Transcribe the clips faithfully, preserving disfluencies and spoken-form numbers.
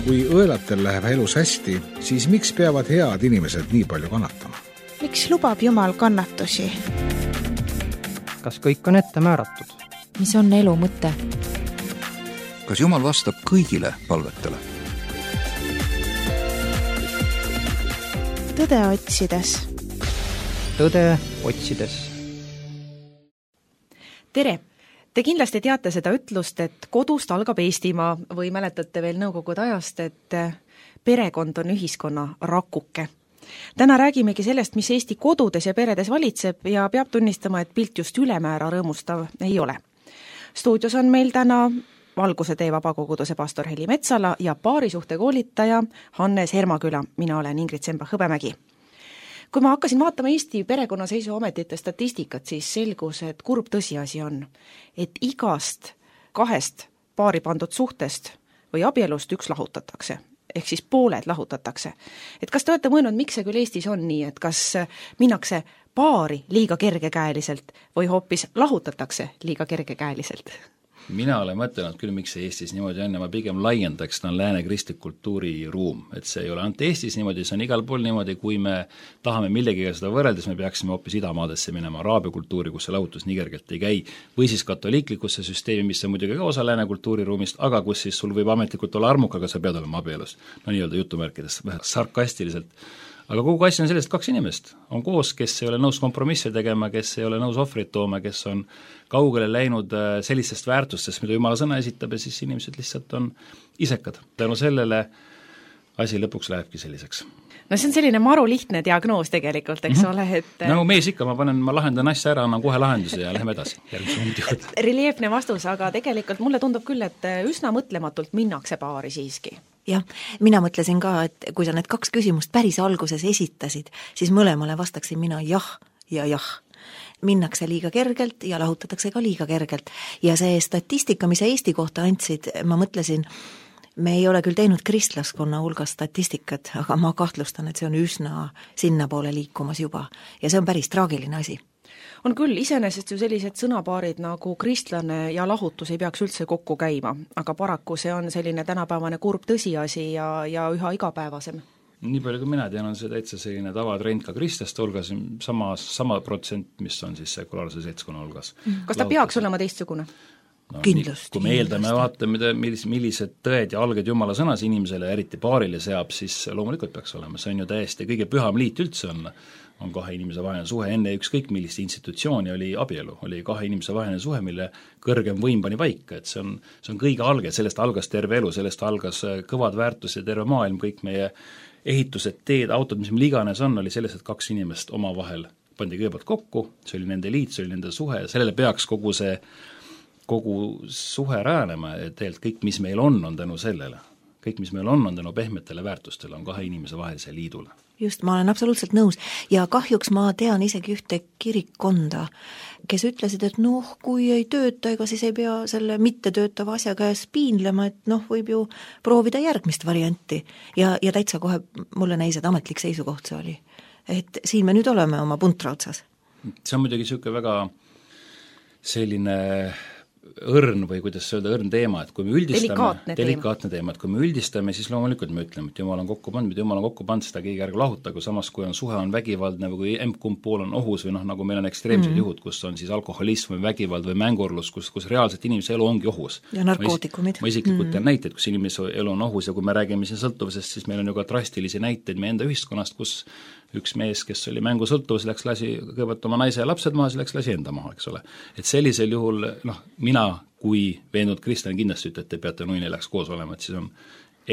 kui õelatel läheb elus hästi, siis miks peavad head inimesed nii palju kannatama? Miks lubab Jumal kannatusi? Kas kõik on ette määratud? Mis on elu mõte? Kas Jumal vastab kõigile palvetele? Tõde otsides. Tõde otsides. Tere! Te kindlasti teate seda ütlust, et kodust algab Eestimaa või mäletate veel nõukogude ajast, et perekond on ühiskonna rakuke. Täna räägimegi sellest, mis Eesti kodudes ja peredes valitseb ja peab tunnistama, et pilt just ülemäära rõõmustav ei ole. Stuudios on meil täna Valguse tee vabakoguduse pastor Heli Metsala ja paarisuhte koolitaja Hannes Hermaküla. Mina olen Ingrid Semba-Hõbemägi. Kui ma hakkasin vaatama Eesti perekonnaseisuametite statistikat, siis selgus, et kurb tõsiasi on, et igast kahest paari pandud suhtest või abielust üks lahutatakse, ehk siis pooled lahutatakse. Et kas te olete mõelnud, miks see küll Eestis on nii, et kas minnakse paari liiga kergekäeliselt või hoopis lahutatakse liiga kergekäeliselt? Mina olen mõtelnud küll, miks see Eestis niimoodi on ja ma pigem laiendaks, ta on lääne kristlik kultuuriruum, et see ei ole ainult Eestis niimoodi, see on igal pool niimoodi, kui me tahame millegiga seda võrreldes, me peaksime hoopis idamaadesse minema araabia kultuuri, kus see lahutus nii kergelt ei käi, või siis katoliiklikusse süsteemi, mis on muidugi ka osa lääne kultuuriruumist, aga kus siis sul võib ametlikult olla armuk, aga sa pead olema abielus, no nii-öelda jutumärkides, vähe sarkastiliselt. Aga kogu asja on sellest kaks inimest, on koos, kes ei ole nõus kompromisse tegema, kes ei ole nõus ohvrit tooma, kes on kaugele läinud sellistest väärtustest, mida Jumala sõna esitab ja siis inimesed lihtsalt on isekad. Tänu sellele asi lõpuks lähebki selliseks. No see on selline maru lihtne diagnoos tegelikult, eks mm-hmm. ole, et nagu mees ikka, ma panen, ma lahendan asja ära, annan kohe lahenduse ja läheme edasi. Relieefne vastus, aga tegelikult mulle tundub küll, et üsna mõtlematult minnakse paari siiski. Jah, mina mõtlesin ka, et kui sa need kaks küsimust päris alguses esitasid, siis mõlemale vastaksin mina jah ja jah. Minnakse liiga kergelt ja lahutatakse ka liiga kergelt. Ja see statistika, mis Eesti kohta andsid, ma mõtlesin, me ei ole küll teinud kristlaskonna hulgas statistikat, aga ma kahtlustan, et see on üsna sinna poole liikumas juba. Ja see on päris traagiline asi. On küll iseenesest ju sellised sõnapaarid nagu kristlane ja lahutus ei peaks üldse kokku käima, aga paraku see on selline tänapäevane kurb tõsiasi ja, ja üha igapäevasem. Nii palju kui mina tean, on see täitsa selline tavatrend ka kristlaste hulgas, sama, sama protsent, mis on siis sekulaarse seltskonna hulgas. Kas ta peaks olema teistsugune? No, kindlasti. Kui me eeldame ja vaatame, millised, millised tõed ja alged Jumala sõnas inimesele, eriti paarile seab, siis loomulikult peaks olema. See on ju täiesti kõige püham liit üldse on, on kahe inimese vaheline suhe. Enne ükskõik millist institutsiooni oli abielu, oli kahe inimese vaheline suhe, mille kõrgem võim pani paika, et see on, see on kõige alge, sellest algas terve elu, sellest algas kõvad väärtus ja terve maailm, kõik meie ehitused, teed, autod, mis meil iganes on, oli sellest, et kaks inimest oma vahel pandi kõigepealt kokku, see oli nende liit, see oli nende suhe ja sellele peaks kogu see kogu suhe räänema, et tegelikult kõik, mis meil on, on tänu sellele. Kõik, mis meil on, on tänu pehmetele väärtustele, on kahe inimese vahelise liidule. Just, ma olen absoluutselt nõus. Ja kahjuks ma tean isegi ühte kirikkonda, kes ütlesid, et noh, kui ei tööta, ega siis ei pea selle mitte töötava asja käes piinlema, et noh, võib ju proovida järgmist varianti. Ja, ja täitsa kohe mulle näis, et ametlik seisukoht see oli. Et siin me nüüd oleme oma puntra otsas. See on muidugi selline väga selline õrn või kuidas öelda, õrn teema, et kui me üldistame, delikaatne, delikaatne teema, et kui me üldistame, siis loomulikult me ütleme, et Jumal on kokku pannud, mida Jumal on kokku pannud, seda keegi ärge lahutagu, samas kui on suhe on vägivaldne või kui emb-kumb pool on ohus või noh, nagu meil on ekstreemsed mm. juhud, kus on siis alkoholism või vägivald või mängurlus, kus, kus reaalselt inimese elu ongi ohus. Ja narkootikumid. Ma isiklikult tean mm. näiteid, kus inimese elu on ohus ja kui me räägime siin sõltuvusest, siis meil on ju ka drastilisi näiteid meie enda ühiskonnast, kus üks mees, kes oli mängu sõltuvus, läks lasi kõigepealt oma naise ja lapsed maha, siis läks lasi enda maha, eks ole. Et sellisel juhul, noh, mina kui veendunud kristlane kindlasti ütleb, et te peate nui neljaks koos olema, et siis on,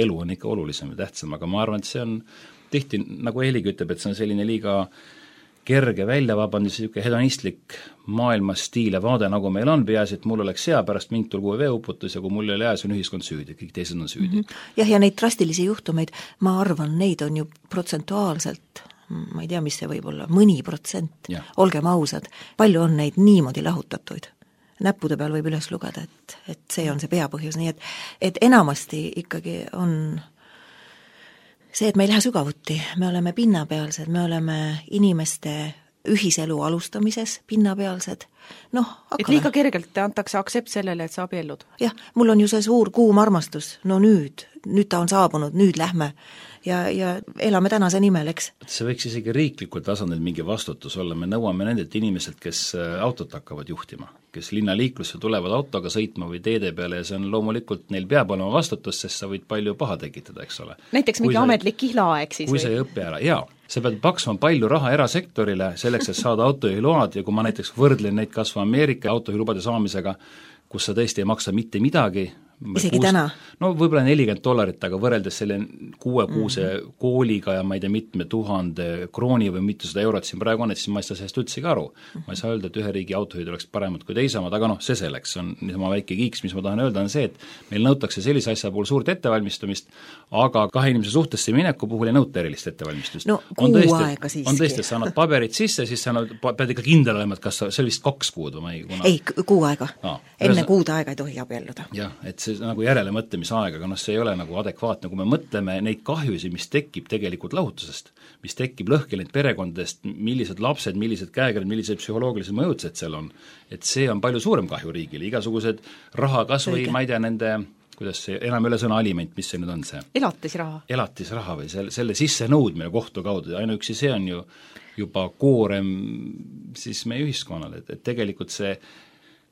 elu on ikka olulisem ja tähtsam, aga ma arvan, et see on tihti, nagu Heligi ütleb, et see on selline liiga kerge väljavabandus, niisugune hedonistlik maailmastiil ja vaade, nagu meil on, peaasi, et mul oleks hea, pärast mind tulgu veeuputus ja kui mul ei ole hea, see on ühiskond süüdi, kõik teised on süüdi. Mm -hmm. Jah, ja neid drastilisi juhtumeid, ma arvan, neid on ju protsentuaalselt, ma ei tea, mis see võib olla, mõni protsent, olgem ausad, palju on neid niimoodi lahutatuid. Näppude peal võib üles lugeda, et, et see on see peapõhjus, nii et, et enamasti ikkagi on see, et me ei lähe sügavuti, me oleme pinnapealsed, me oleme inimeste ühiselu alustamises pinnapealsed. Noh, et liiga kergelt antakse aksept sellele, et sa abiellud. Jah, mul on ju see suur kuum armastus, no nüüd, nüüd, nüüd ta on saabunud, nüüd lähme ja, ja elame tänase nimel, eks. See võiks isegi riiklikul tasandil mingi vastutus olla, me nõuame nendelt inimeselt, kes autot hakkavad juhtima, kes linnaliiklusse tulevad autoga sõitma või teede peale ja see on loomulikult, neil peab olema vastutus, sest sa võid palju paha tekitada, eks ole. Näiteks mingi sa, ametlik kihlaaeg siis kui või? Kui sa ei õpi ära, jaa. Sa pead maksma palju raha erasektorile selleks, et saada autojuhiload ja kui ma näiteks võrdlen neid kasva Ameerika autojuhilubade saamisega, kus sa tõesti ei maksa mitte midagi, isegi kuus, täna? No võib-olla nelikümmend dollarit, aga võrreldes selle kuue-kuuse mm. kooliga ja ma ei tea, mitme tuhande krooni või mitusada eurot siin praegu on, et siis ma ei saa sellest üldsegi aru. Ma ei saa öelda, et ühe riigi autojuhid oleks paremad kui teisamad, aga noh, see selleks on niisama väike kiiks, mis ma tahan öelda, on see, et meil nõutakse sellise asja puhul suurt ettevalmistumist, aga kahe inimese suhtesse mineku puhul ei nõuta erilist ettevalmistust. No kuu tõesti, aega siiski. On tõesti, et sa annad paberid sisse, siis sa annad, pead ikka kindel olema, et kas sa, see oli vist kaks kuud või ma ei kuna... ei, kuu aega. Aa, enne kuud aega ei tohi abielluda. jah, et see nagu järelemõtlemisaeg, aga noh, see ei ole nagu adekvaatne, kui me mõtleme neid kahjusi, mis tekib tegelikult lahutusest, mis tekib lõhkeleid perekondadest, millised lapsed, millised käekirjad, millised psühholoogilised mõjutused seal on, et see on palju suurem kahju riigile, igasugused raha kas või, ma ei tea, nende kuidas see, enam üle sõna aliment, mis see nüüd on see? Elatisraha. Elatisraha või selle, selle sisse nõudmine kohtu kaudu, ainuüksi see on ju juba koorem siis meie ühiskonnale, et, et tegelikult see,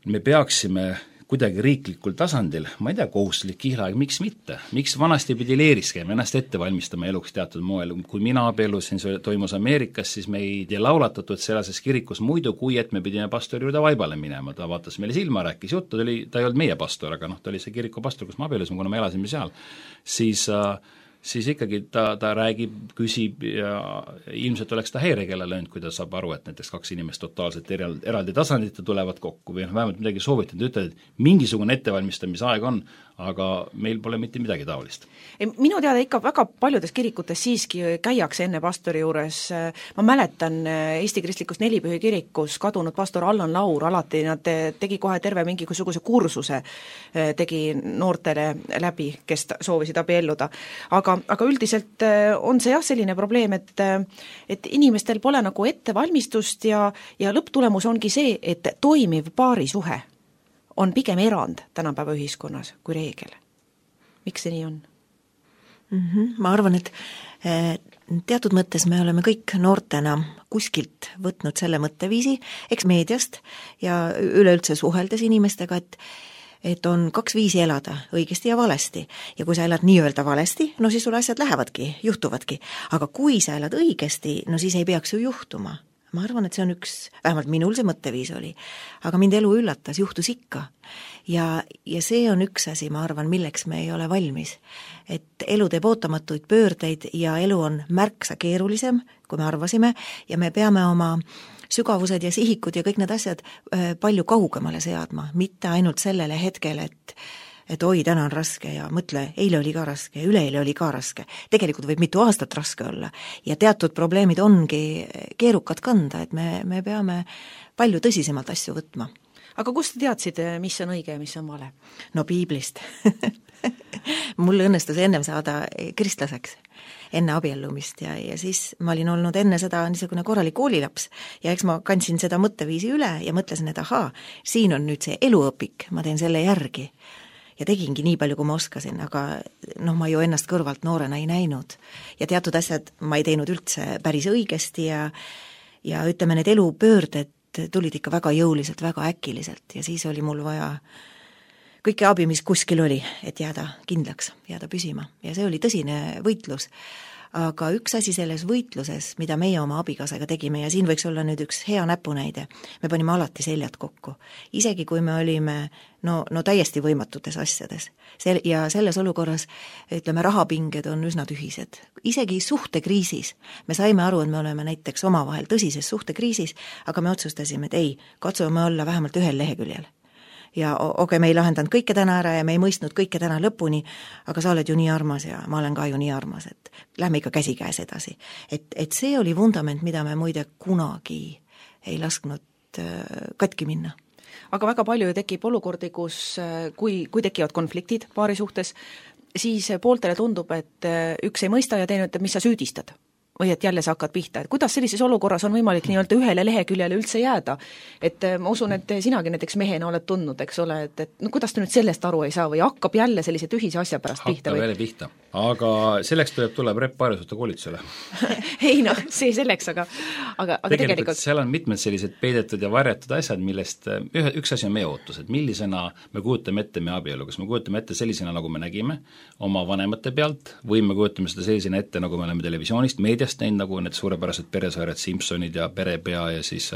me peaksime kuidagi riiklikul tasandil, ma ei tea, kohustuslik kihlaeg, miks mitte? Miks vanasti pidi leeris käima, ennast ette valmistama eluks teatud moel? Kui mina abiellusin, see toimus Ameerikas, siis meid ei laulatatud selases kirikus muidu, kui et me pidime pastori juurde vaibale minema. Ta vaatas meile silma, rääkis juttu, ta, oli, ta ei olnud meie pastor, aga noh, ta oli see kiriku pastor, kus ma abiellusime, kuna me elasime seal. Siis äh, siis ikkagi ta, ta räägib, küsib ja ilmselt oleks ta häirekella löönud, kui ta saab aru, et näiteks kaks inimest totaalselt eraldi, eraldi tasandit tulevad kokku või noh, vähemalt midagi soovitanud, ütled, et mingisugune ettevalmistamisaeg on, aga meil pole mitte midagi taolist. Minu teada ikka väga paljudes kirikutes siiski käiakse enne pastori juures, ma mäletan Eesti Kristlikus Nelipühi kirikus kadunud pastor Allan Laur, alati nad tegi kohe terve mingisuguse kursuse, tegi noortele läbi, kes soovisid abielluda. Aga, aga üldiselt on see jah selline probleem, et, et inimestel pole nagu ettevalmistust ja, ja lõpptulemus ongi see, et toimiv paarisuhe on pigem erand tänapäeva ühiskonnas kui reegel. Miks see nii on? Mm-hmm. Ma arvan, et teatud mõttes me oleme kõik noortena kuskilt võtnud selle mõtteviisi, eks meediast ja üleüldse suheldes inimestega, et et on kaks viisi elada, õigesti ja valesti. Ja kui sa elad nii-öelda valesti, no siis sul asjad lähevadki, juhtuvadki. Aga kui sa elad õigesti, no siis ei peaks ju juhtuma. Ma arvan, et see on üks, vähemalt minul see mõtteviis oli, aga mind elu üllatas, juhtus ikka. Ja, ja see on üks asi, ma arvan, milleks me ei ole valmis. Et elu teeb ootamatuid pöördeid ja elu on märksa keerulisem, kui me arvasime, ja me peame oma sügavused ja sihikud ja kõik need asjad palju kaugemale seadma, mitte ainult sellele hetkel, et et oi, täna on raske ja mõtle, eile oli ka raske ja üleeile oli ka raske. Tegelikult võib mitu aastat raske olla ja teatud probleemid ongi keerukad kanda, et me, me peame palju tõsisemalt asju võtma. Aga kust te teadsid, mis on õige ja mis on vale? No piiblist. Mul õnnestus ennem saada kristlaseks enne abiellumist ja, ja siis ma olin olnud enne seda niisugune korralik koolilaps ja eks ma kandsin seda mõtteviisi üle ja mõtlesin, et ahaa, siin on nüüd see eluõpik, ma teen selle järgi. Ja tegingi nii palju, kui ma oskasin, aga noh, ma ju ennast kõrvalt noorena ei näinud. Ja teatud asjad ma ei teinud üldse päris õigesti ja, ja ütleme, need elupöörded tulid ikka väga jõuliselt, väga äkiliselt ja siis oli mul vaja kõike abi, mis kuskil oli, et jääda kindlaks, jääda püsima. Ja see oli tõsine võitlus. Aga üks asi selles võitluses, mida meie oma abikaasaga tegime, ja siin võiks olla nüüd üks hea näpunäide, me panime alati seljad kokku. Isegi kui me olime no, no täiesti võimatutes asjades. Sel- ja selles olukorras, ütleme, rahapinged on üsna tühised. Isegi suhtekriisis me saime aru, et me oleme näiteks omavahel tõsises suhtekriisis, aga me otsustasime, et ei, katsume olla vähemalt ühel leheküljel. Ja okei, okay, me ei lahendanud kõike täna ära ja me ei mõistnud kõike täna lõpuni, aga sa oled ju nii armas ja ma olen ka ju nii armas, et lähme ikka käsikäes edasi. Et, et see oli vundament, mida me muide kunagi ei lasknud katki minna. Aga väga palju tekib olukordi, kus kui, kui tekivad konfliktid paari suhtes, siis pooltele tundub, et üks ei mõista ja teine ütleb, mis sa süüdistad. või et jälle sa hakkad pihta, et kuidas sellises olukorras on võimalik nii-öelda ühele leheküljele üldse jääda? Et ma usun, et sinagi näiteks mehena oled tundnud, eks ole, et, et no kuidas ta nüüd sellest aru ei saa või hakkab jälle sellise tühise asja pärast hakkab pihta? Hakkab jälle pihta, aga selleks tuleb, tuleb rep paarjusute koolitusele. ei noh, see selleks, aga, aga, aga tegelikult, tegelikult seal on mitmed sellised peidetud ja varjatud asjad, millest ühe, üks asi on meie ootus, et millisena me kujutame ette meie abielu, kas me kujutame ette sellisena, nagu me nägime oma vanemate pealt, või me kujutame seda sellisena ette, nagu me oleme televisioonist, meediast näinud, nagu need suurepärased peresarjad Simpsonid ja Perepea ja siis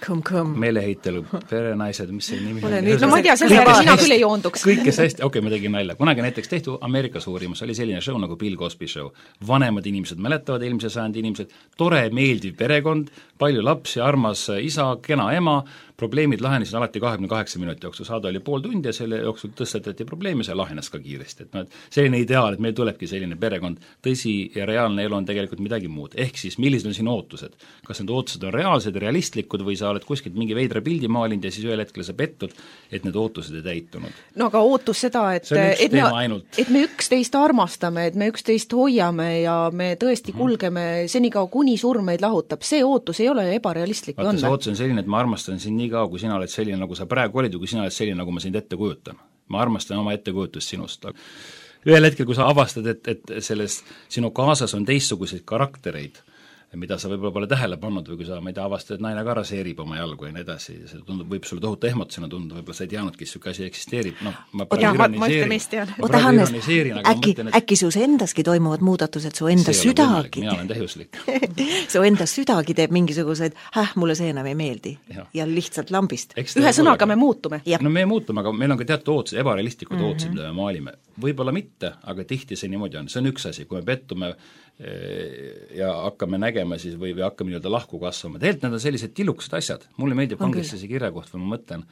kõm, kõm. meeleheitel perenaised, mis see nimi on? No ma ei tea, selle järgi sina küll ei joonduks. kõik, kes hästi, okei okay,, ma tegin nalja. Kunagi näiteks tehtu Ameerikas uurimus, oli selline show nagu Bill Cosby show. Vanemad inimesed mäletavad, eelmise sajandi inimesed, tore, meeldiv perekond, palju lapsi, armas isa, kena ema, probleemid lahenesid alati kahekümne kaheksa minuti jooksul, saada oli pool tundi ja selle jooksul tõstatati probleemi, see lahenes ka kiiresti, et no, et selline ideaal, et meil tulebki selline perekond, tõsi ja reaalne elu on tegelikult midagi muud, ehk siis millised on sinu ootused, kas need ootused on reaalsed, realistlikud või sa oled kuskilt mingi veidra pildi maalinud ja siis ühel hetkel sa pettud, et need ootused ei täitunud. No aga ootus seda, et, et, me, et me üksteist armastame, et me üksteist hoiame ja me tõesti kulgeme mm-hmm. senikaua, kuni surm meid lahutab, see ootus ei ole ebarealistlik. Vaata, see ootus on selline, et ma armastan sind nii kaua, kui sina oled selline, nagu sa praegu olid, või kui sina oled selline, nagu ma sind ette kujutan. Ma armastan oma ettekujutust sinust. Ühel hetkel, kui sa avastad, et, et selles sinu kaasas on teistsuguseid karaktereid, mida sa võib-olla pole tähele pannud või kui sa, ma ei tea, avastad, et naine ka raseerib oma jalgu ja nii edasi, see tundub, võib sulle tohutu ehmatusena tunda, võib-olla sa ei teadnudki, et siuke asi eksisteerib, noh, ma praegu ironiseerin. Oota, Hannes, äkki, äkki sus endaski toimuvad muudatused, su enda südagi, mina olen täiuslik. su enda südagi teeb mingisuguseid, häh, mulle see enam ei meeldi ja, ja lihtsalt lambist. Ühe sõnaga me muutume. No me muutume, aga meil on ka teatud ootused, ebarealistlikud mm-hmm. ootused, mida me maalime. Võib-olla mitte, aga tihti see niimoodi on. See on üks asi, kui me pettume ja hakkame nägema siis või, või hakkame nii-öelda lahku kasvama. Tegelikult need on sellised tilukesed asjad. Mulle meeldib kangesse see kirja koht, või ma mõtlen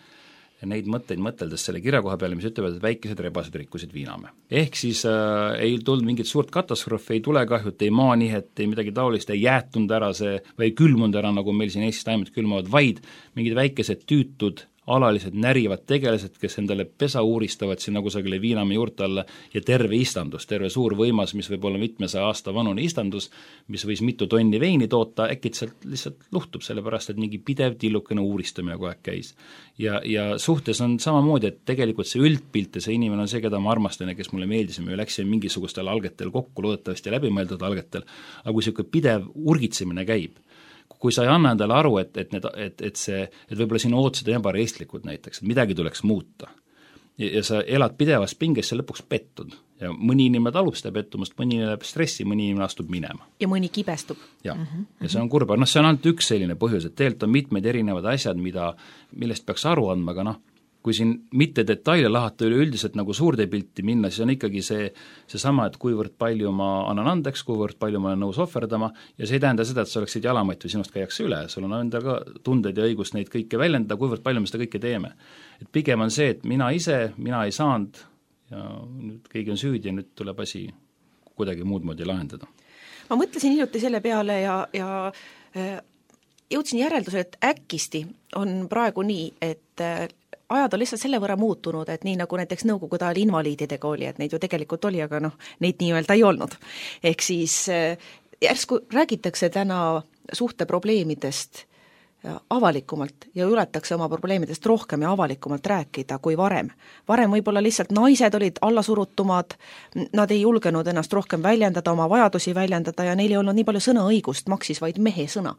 neid mõtteid mõteldes selle kirjakoha peale, mis ütlevad, et väikesed rebased rikkusid viiname. Ehk siis äh, ei tulnud mingit suurt katastroofi, ei tulekahjut, ei maanihet, ei midagi taolist, ei jäätunud ära see või ei külmunud ära, nagu meil siin Eestis taimud külmavad, vaid mingid väikesed tüütud alalised närivad tegelased, kes endale pesa uuristavad sinna kusagile Viinamäe juurte alla ja terve istandus, terve suur võimas, mis võib olla mitmesaja aasta vanune istandus, mis võis mitu tonni veini toota, äkitselt lihtsalt luhtub, sellepärast et mingi pidev tillukene uuristamine kogu aeg käis. Ja, ja suhtes on samamoodi, et tegelikult see üldpilt ja see inimene on see, keda ma armastan ja kes mulle meeldis ja me läksime mingisugustel algetel kokku, loodetavasti läbimõeldud algetel, aga kui selline pidev urgitsemine käib, kui sa ei anna endale aru, et, et, need, et, et see, et võib-olla sinu ootused on ebarealistlikud näiteks, et midagi tuleks muuta ja, ja sa elad pidevas pinges ja lõpuks pettud ja mõni inimene talub seda pettumust, mõni inimene läheb stressi, mõni inimene astub minema. Ja mõni kibestub. Ja, mm-hmm. ja see on kurba, noh see on ainult üks selline põhjus, et tegelikult on mitmed erinevad asjad, mida, millest peaks aru andma, aga noh, kui siin mitte detaile lahata üleüldiselt nagu suurde pilti minna, siis on ikkagi see, see sama, et kuivõrd palju ma annan andeks, kuivõrd palju ma olen nõus ohverdama ja see ei tähenda seda, et sa oleksid jalamott või sinust käiakse üle, sul on enda ka tunded ja õigus neid kõike väljendada, kuivõrd palju me seda kõike teeme. Et pigem on see, et mina ise, mina ei saanud ja nüüd keegi on süüdi ja nüüd tuleb asi kuidagi muud moodi lahendada. Ma mõtlesin hiljuti selle peale ja, ja äh, jõudsin järelduse, et äkisti on praegu nii, et äh, ajad on lihtsalt selle võrra muutunud, et nii nagu näiteks nõukogude ajal invaliididega oli, et neid ju tegelikult oli, aga noh, neid nii-öelda ei olnud. Ehk siis järsku räägitakse täna suhteprobleemidest avalikumalt ja ületakse oma probleemidest rohkem ja avalikumalt rääkida kui varem. Varem võib-olla lihtsalt naised olid allasurutumad, nad ei julgenud ennast rohkem väljendada, oma vajadusi väljendada ja neil ei olnud nii palju sõnaõigust, maksis vaid mehe sõna.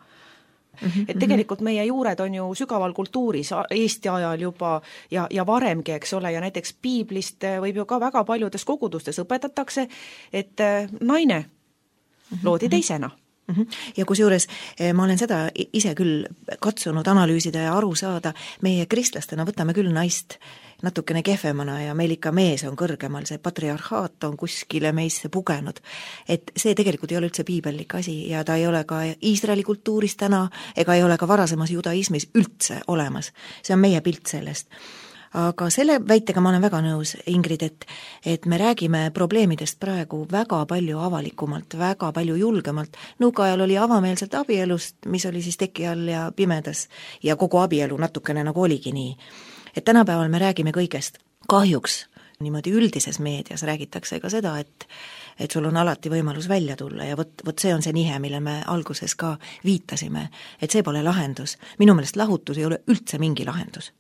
Mm-hmm. Et tegelikult meie juured on ju sügaval kultuuris Eesti ajal juba ja, ja varemgi, eks ole, ja näiteks piiblist võib ju ka väga paljudes kogudustes õpetatakse, et naine loodi teisena. Mm-hmm. Ja kusjuures ma olen seda ise küll katsunud analüüsida ja aru saada, meie kristlastena võtame küll naist natukene kehvemana ja meil ikka mees on kõrgemal, see patriarhaat on kuskile meisse pugenud. Et see tegelikult ei ole üldse piibellik asi ja ta ei ole ka Iisraeli kultuuris täna ega ei ole ka varasemas judaismis üldse olemas. See on meie pilt sellest. Aga selle väitega ma olen väga nõus, Ingrid, et, et me räägime probleemidest praegu väga palju avalikumalt, väga palju julgemalt. Nõukaajal oli avameelselt abielust, mis oli siis teki all ja pimedas ja kogu abielu natukene nagu oligi nii. Et tänapäeval me räägime kõigest. Kahjuks niimoodi üldises meedias räägitakse ka seda, et et sul on alati võimalus välja tulla ja vot, vot see on see nihe, mille me alguses ka viitasime, et see pole lahendus. Minu meelest lahutus ei ole üldse mingi lahendus.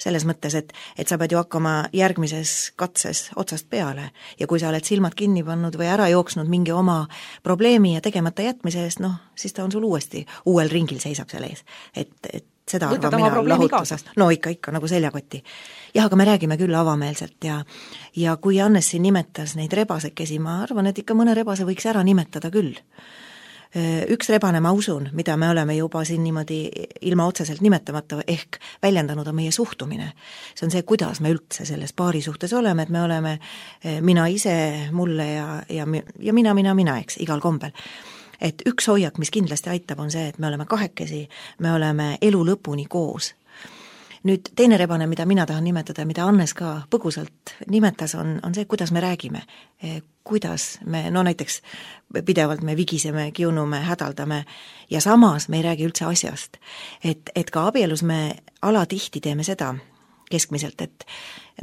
Selles mõttes, et, et sa pead ju hakkama järgmises katses otsast peale ja kui sa oled silmad kinni pannud või ära jooksnud mingi oma probleemi ja tegemata jätmise eest, noh, siis ta on sul uuesti uuel ringil seisab seal ees. Et, et seda võtad oma probleemi kaasa? No ikka, ikka, nagu seljakoti. Jah, aga me räägime küll avameelselt ja, ja kui Hannes siin nimetas neid rebasekesi, ma arvan, et ikka mõne rebase võiks ära nimetada küll. Üks rebane, ma usun, mida me oleme juba siin niimoodi ilma otseselt nimetamata ehk väljendanud on meie suhtumine. See on see, kuidas me üldse selles paari suhtes oleme, et me oleme mina ise, mulle ja, ja, ja mina, mina, mina, eks, igal kombel. Et üks hoiak, mis kindlasti aitab, on see, et me oleme kahekesi, me oleme elu lõpuni koos. Nüüd teine rebane, mida mina tahan nimetada, mida Hannes ka põgusalt nimetas, on, on see, kuidas me räägime. Kuidas me, no näiteks pidevalt me vigiseme, kiunume, hädaldame ja samas me ei räägi üldse asjast. Et, et ka abielus me alatihti teeme seda keskmiselt, et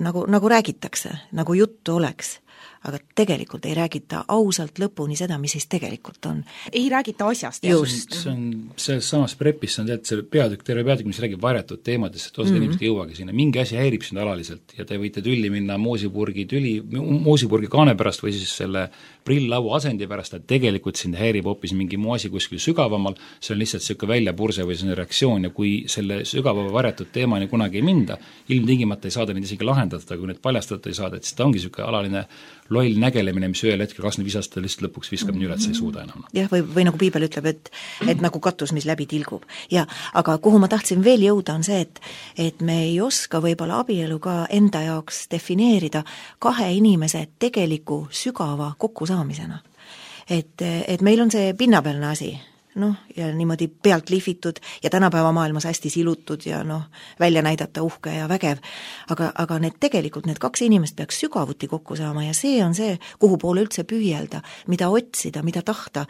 nagu, nagu räägitakse, nagu juttu oleks, aga tegelikult ei räägita ausalt lõpuni seda, mis siis tegelikult on. Ei räägita asjast. Just. See on selles samas prepis, see on tead, see peatükk, terve peatükk, mis räägib varjatud teemadest, et osad mm-hmm. inimesed ei jõuagi sinna. Mingi asi häirib sind alaliselt ja te võite tülli minna moosipurgi, tüli, moosipurgi kaane pärast või siis selle prill-lavu asendi pärast, et tegelikult sind häirib hoopis mingi muu asi kuskil sügavamal, see on lihtsalt selline väljapurse või see on reaktsioon ja kui selle sügava varjatud teemani kunagi ei minda, ilmtingimata ei saada neid isegi lahendada, kui need paljastada ei saada, et siis ta ongi selline alaline loll nägelemine, mis ühel hetkel kakskümmend viis aastat lihtsalt lõpuks viskab nii üle, et sa ei suuda enam. Jah, või, või nagu piibel ütleb, et, et nagu katus, mis läbi tilgub. Ja, aga kuhu ma tahtsin veel jõuda, on see, et, et me ei oska võib-olla abielu ka enda jaoks defineerida kahe inimese tegeliku sügava kokkusaamisena. Et, et meil on see pinnapealne asi, noh, ja niimoodi pealt lihvitud ja tänapäeva maailmas hästi silutud ja noh, välja näidata uhke ja vägev, aga, aga need tegelikult, need kaks inimest peaks sügavuti kokku saama ja see on see, kuhu poole üldse püüelda, mida otsida, mida tahta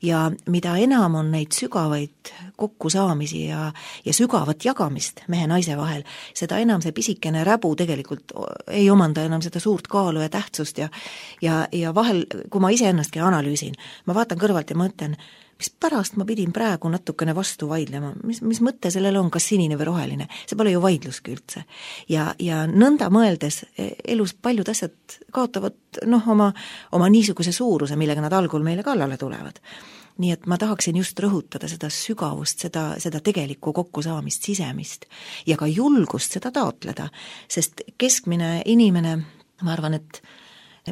ja mida enam on neid sügavaid kokkusaamisi ja, ja sügavat jagamist mehe-naise vahel, seda enam see pisikene räbu tegelikult ei omanda enam seda suurt kaalu ja tähtsust ja, ja, ja vahel, kui ma iseennastki analüüsin, ma vaatan kõrvalt ja mõtlen, mis pärast ma pidin praegu natukene vastu vaidlema, mis, mis mõte sellel on, kas sinine või roheline, see pole ju vaidluski üldse. Ja, ja nõnda mõeldes elus paljud asjad kaotavad noh, oma, oma niisuguse suuruse, millega nad algul meile kallale tulevad. Nii et ma tahaksin just rõhutada seda sügavust, seda, seda tegelikku kokkusaamist, sisemist ja ka julgust seda taotleda, sest keskmine inimene, ma arvan, et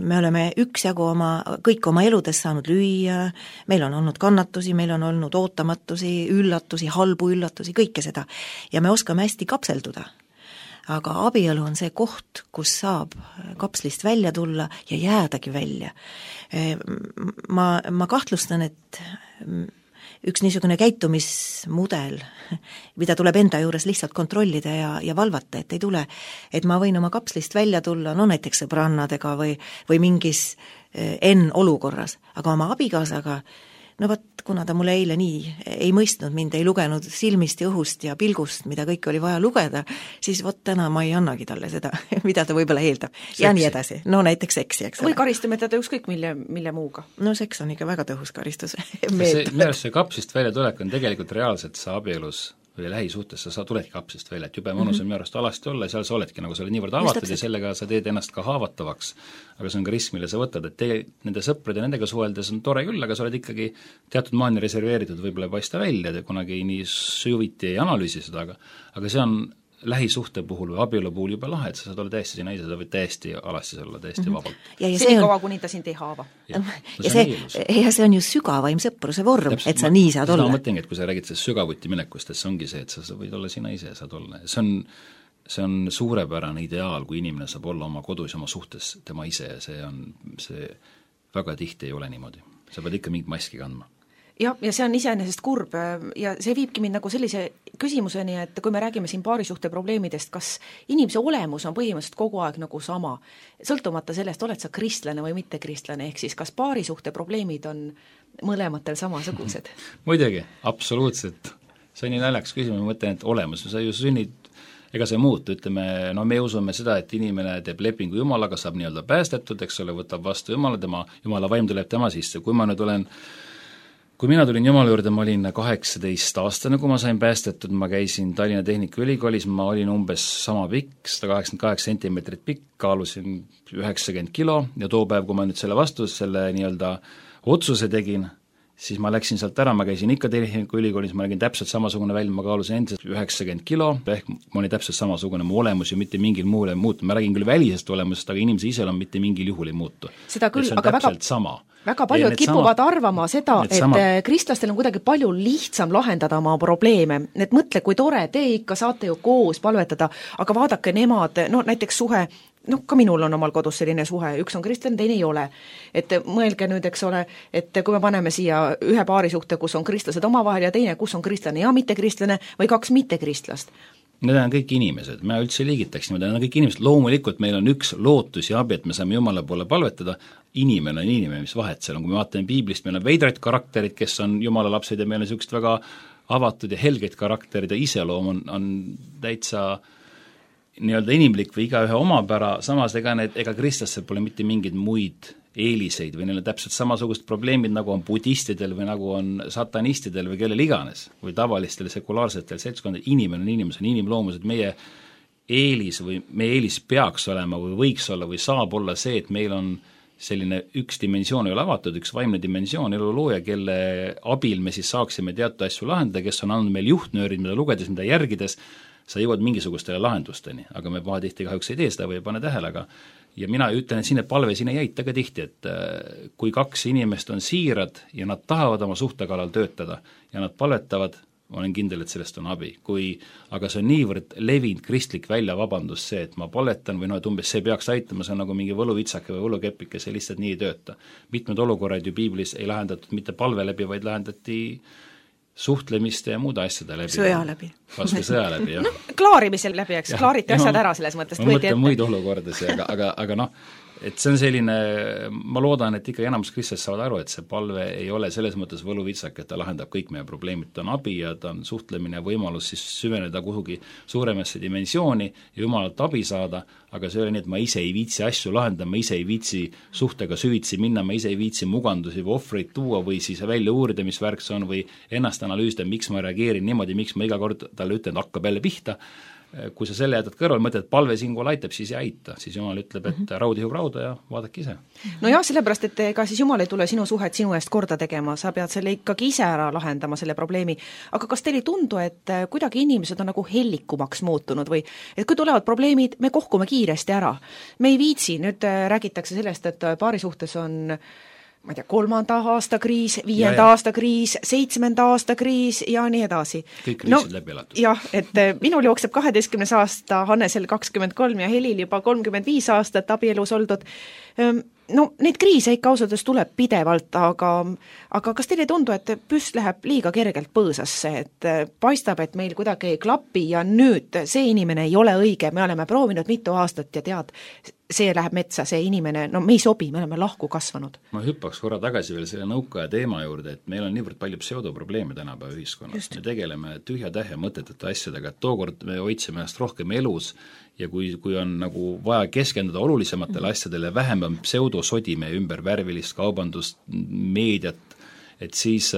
me oleme üksjagu oma, kõik oma eludes saanud lüüa, meil on olnud kannatusi, meil on olnud ootamatusi, üllatusi, halbu üllatusi, kõike seda. Ja me oskame hästi kapselduda. Aga abielu on see koht, kus saab kapslist välja tulla ja jäädagi välja. Ma, ma kahtlustan, et üks niisugune käitumismudel, mida tuleb enda juures lihtsalt kontrollida ja, ja valvata, et ei tule, et ma võin oma kapslist välja tulla, no näiteks sõbrannadega või, või mingis enn olukorras, aga oma abikaasaga, no vaat, kuna ta mulle eile nii ei mõistnud mind, ei lugenud silmist ja õhust ja pilgust, mida kõik oli vaja lugeda, siis vot täna ma ei annagi talle seda, mida ta võib-olla eeldab. Seksi. Ja nii edasi. No näiteks seksi, eks või karistame teda ükskõik mille, mille muuga. No seks on ikka väga tõhus karistus. see, see kapsist välja tulek on tegelikult reaalselt sa abielus või lähisuhtes, sa, sa tuledki kapsist välja, et jube mõnus on mm-hmm. minu arust alasti olla ja seal sa oledki, nagu sa oled niivõrd avatud ja sellega sa teed ennast ka haavatavaks. Aga see on ka risk, mille sa võtad, et te, nende sõprade ja nendega suheldes on tore küll, aga sa oled ikkagi teatud maani reserveeritud, võib-olla ei paista välja, te kunagi nii sujuviti ei analüüsi seda, aga, aga see on lähisuhte puhul või abielu puhul juba lahe, et sa saad olla täiesti sina ise, sa võid täiesti alastis olla, täiesti mm-hmm. vabalt. Ja, ja see on... kaua, kuni ta sind ei haava. Ja, ja, see, ja see on ju sügavaim sõpruse vorm, täpselt, et sa ma, nii saad olla. Ma mõtlengi, et kui sa räägid sellest sügavuti minekust, et see ongi see, et sa, sa võid olla sina ise, saad olla. See on, see on suurepärane ideaal, kui inimene saab olla oma kodus ja oma suhtes tema ise ja see on, see väga tihti ei ole niimoodi. Sa pead ikka mingit maski kandma. Ja, ja see on iseenesest kurb ja see viibki mind nagu sellise küsimuseni, et kui me räägime siin paarisuhte probleemidest, kas inimese olemus on põhimõtteliselt kogu aeg nagu sama, sõltumata sellest, oled sa kristlane või mitte kristlane, ehk siis kas paarisuhte probleemid on mõlematel samasugused? Muidugi, absoluutselt. See on nii naljakas küsimus, ma mõtlen, et olemus, sa ju sünnid ega see muutu, ütleme, no me usume seda, et inimene teeb lepingu Jumalaga, saab nii-öelda päästetud, eks ole, võtab vastu Jumala, tema, Jumala vaim tuleb tema sisse, kui ma nüüd olen kui mina tulin Jumala juurde, ma olin kaheksateist aastane, kui ma sain päästetud, ma käisin Tallinna Tehnikaülikoolis, ma olin umbes sama pikk, sada kaheksakümmend kaheksa sentimeetrit pikk, kaalusin üheksakümmend kilo ja too päev, kui ma nüüd selle vastu, selle nii-öelda otsuse tegin, siis ma läksin sealt ära, ma käisin ikka Tehnikaülikoolis, ma nägin täpselt samasugune välja, ma kaalusin endiselt üheksakümmend kilo, ehk ma olin täpselt samasugune, mu olemus ju mitte mingil muul ei muutu, ma räägin küll välisest olemusest, aga inimese iseloom mitte mingil juhul ei muutu. Seda küll, aga väga, sama. väga paljud kipuvad sama, arvama seda, et sama... kristlastel on kuidagi palju lihtsam lahendada oma probleeme, et mõtle, kui tore, te ikka saate ju koos palvetada, aga vaadake nemad, no näiteks suhe, noh, ka minul on omal kodus selline suhe, üks on kristlane, teine ei ole. Et mõelge nüüd, eks ole, et kui me paneme siia ühe paari suhte, kus on kristlased omavahel ja teine, kus on kristlane ja mittekristlane või kaks mittekristlast. Need on kõik inimesed, me üldse liigitaks niimoodi, need on kõik inimesed, loomulikult meil on üks lootus ja abi, et me saame Jumala poole palvetada, inimene on inimene, mis vahet seal on, kui me vaatame piiblist, meil on veidraid karakterid, kes on Jumala lapsed ja meil on niisugust väga avatud ja helgeid karakterid ja iseloom on, on täitsa nii-öelda inimlik või igaühe omapära, samas ega need, ega kristlastel pole mitte mingeid muid eeliseid või neil on täpselt samasugust probleemid, nagu on budistidel või nagu on satanistidel või kellel iganes või tavalistel sekulaarsetel seltskondadel, inimene on inimene, on inimloomused, meie eelis või meie eelis peaks olema või võiks olla või saab olla see, et meil on selline üks dimensioon ei ole avatud, üks vaimne dimensioon, elulooja, kelle abil me siis saaksime teatud asju lahendada, kes on andnud meil juhtnöörid, mida lugedes, mida järgides, sa jõuad mingisugustele lahendusteni, aga me pahatihti kahjuks ei tee seda või ei pane tähele, aga ja mina ütlen, et sinne palve sinna ei jäita ka tihti, et kui kaks inimest on siirad ja nad tahavad oma suhte kallal töötada ja nad palvetavad, ma olen kindel, et sellest on abi. Kui, aga see on niivõrd levinud kristlik väljavabandus see, et ma palvetan või no, et umbes see peaks aitama, see on nagu mingi võluvitsake või võlukepike, see lihtsalt nii ei tööta. Mitmed olukorrad ju piiblis ei lahendatud mitte palve läbi, vaid lahendati suhtlemiste ja muude asjade läbi. Sõja läbi. Vastu sõja läbi, jah. No, klaarimisel läbi, eks, ja, klaariti asjad ma, ära selles mõttes. Ma mõtlen muid olukordasid, aga, aga, aga noh, et see on selline, ma loodan, et ikka enamus kristlased saavad aru, et see palve ei ole selles mõttes võluvitsak, et ta lahendab kõik meie probleemid, ta on abi ja ta on suhtlemine ja võimalus siis süveneda kuhugi suuremasse dimensiooni ja Jumalalt abi saada, aga see ei ole nii, et ma ise ei viitsi asju lahendada, ma ise ei viitsi suhtega süvitsi minna, ma ise ei viitsi mugandusi või ohvreid tuua või siis välja uurida, mis värk see on või ennast analüüsida, miks ma reageerin niimoodi, miks ma iga kord talle ütlen, et hakkab jälle pihta. Kui sa selle jätad kõrval, mõtled, et palve siinkohal aitab, siis ei aita, siis Jumal ütleb, et raud ihub rauda ja vaadake ise. No jah, sellepärast, et ega siis Jumal ei tule sinu suhet sinu eest korda tegema, sa pead selle ikkagi ise ära lahendama, selle probleemi, aga kas teil ei tundu, et kuidagi inimesed on nagu hellikumaks muutunud või et kui tulevad probleemid, me kohkume kiiresti ära. Me ei viitsi, nüüd räägitakse sellest, et paari suhtes on ma ei tea, kolmanda aasta kriis, viienda ja, ja. aasta kriis, seitsmenda aasta kriis ja nii edasi. Kõik kriisid no, läbi elatud. Jah, et minul jookseb kaheteistkümnes aasta, Hannesel kakskümmend kolm ja Helil juba kolmkümmend viis aastat abielus oldud. No neid kriise ikka ausades tuleb pidevalt, aga, aga kas teile ei tundu, et püst läheb liiga kergelt põõsasse, et paistab, et meil kuidagi ei klapi ja nüüd see inimene ei ole õige, me oleme proovinud mitu aastat ja tead, see läheb metsa, see inimene, no me ei sobi, me oleme lahku kasvanud. Ma hüppaks korra tagasi veel selle nõukaja teema juurde, et meil on niivõrd palju pseudoprobleeme tänapäeva ühiskonnas. Me tegeleme tühja tähe mõtetete asjadega, et tookord me hoidsime ennast rohkem elus ja kui, kui on nagu vaja keskenduda olulisematele asjadele, vähem on pseudosodi meie ümber värvilist kaubandust, meediat, et siis,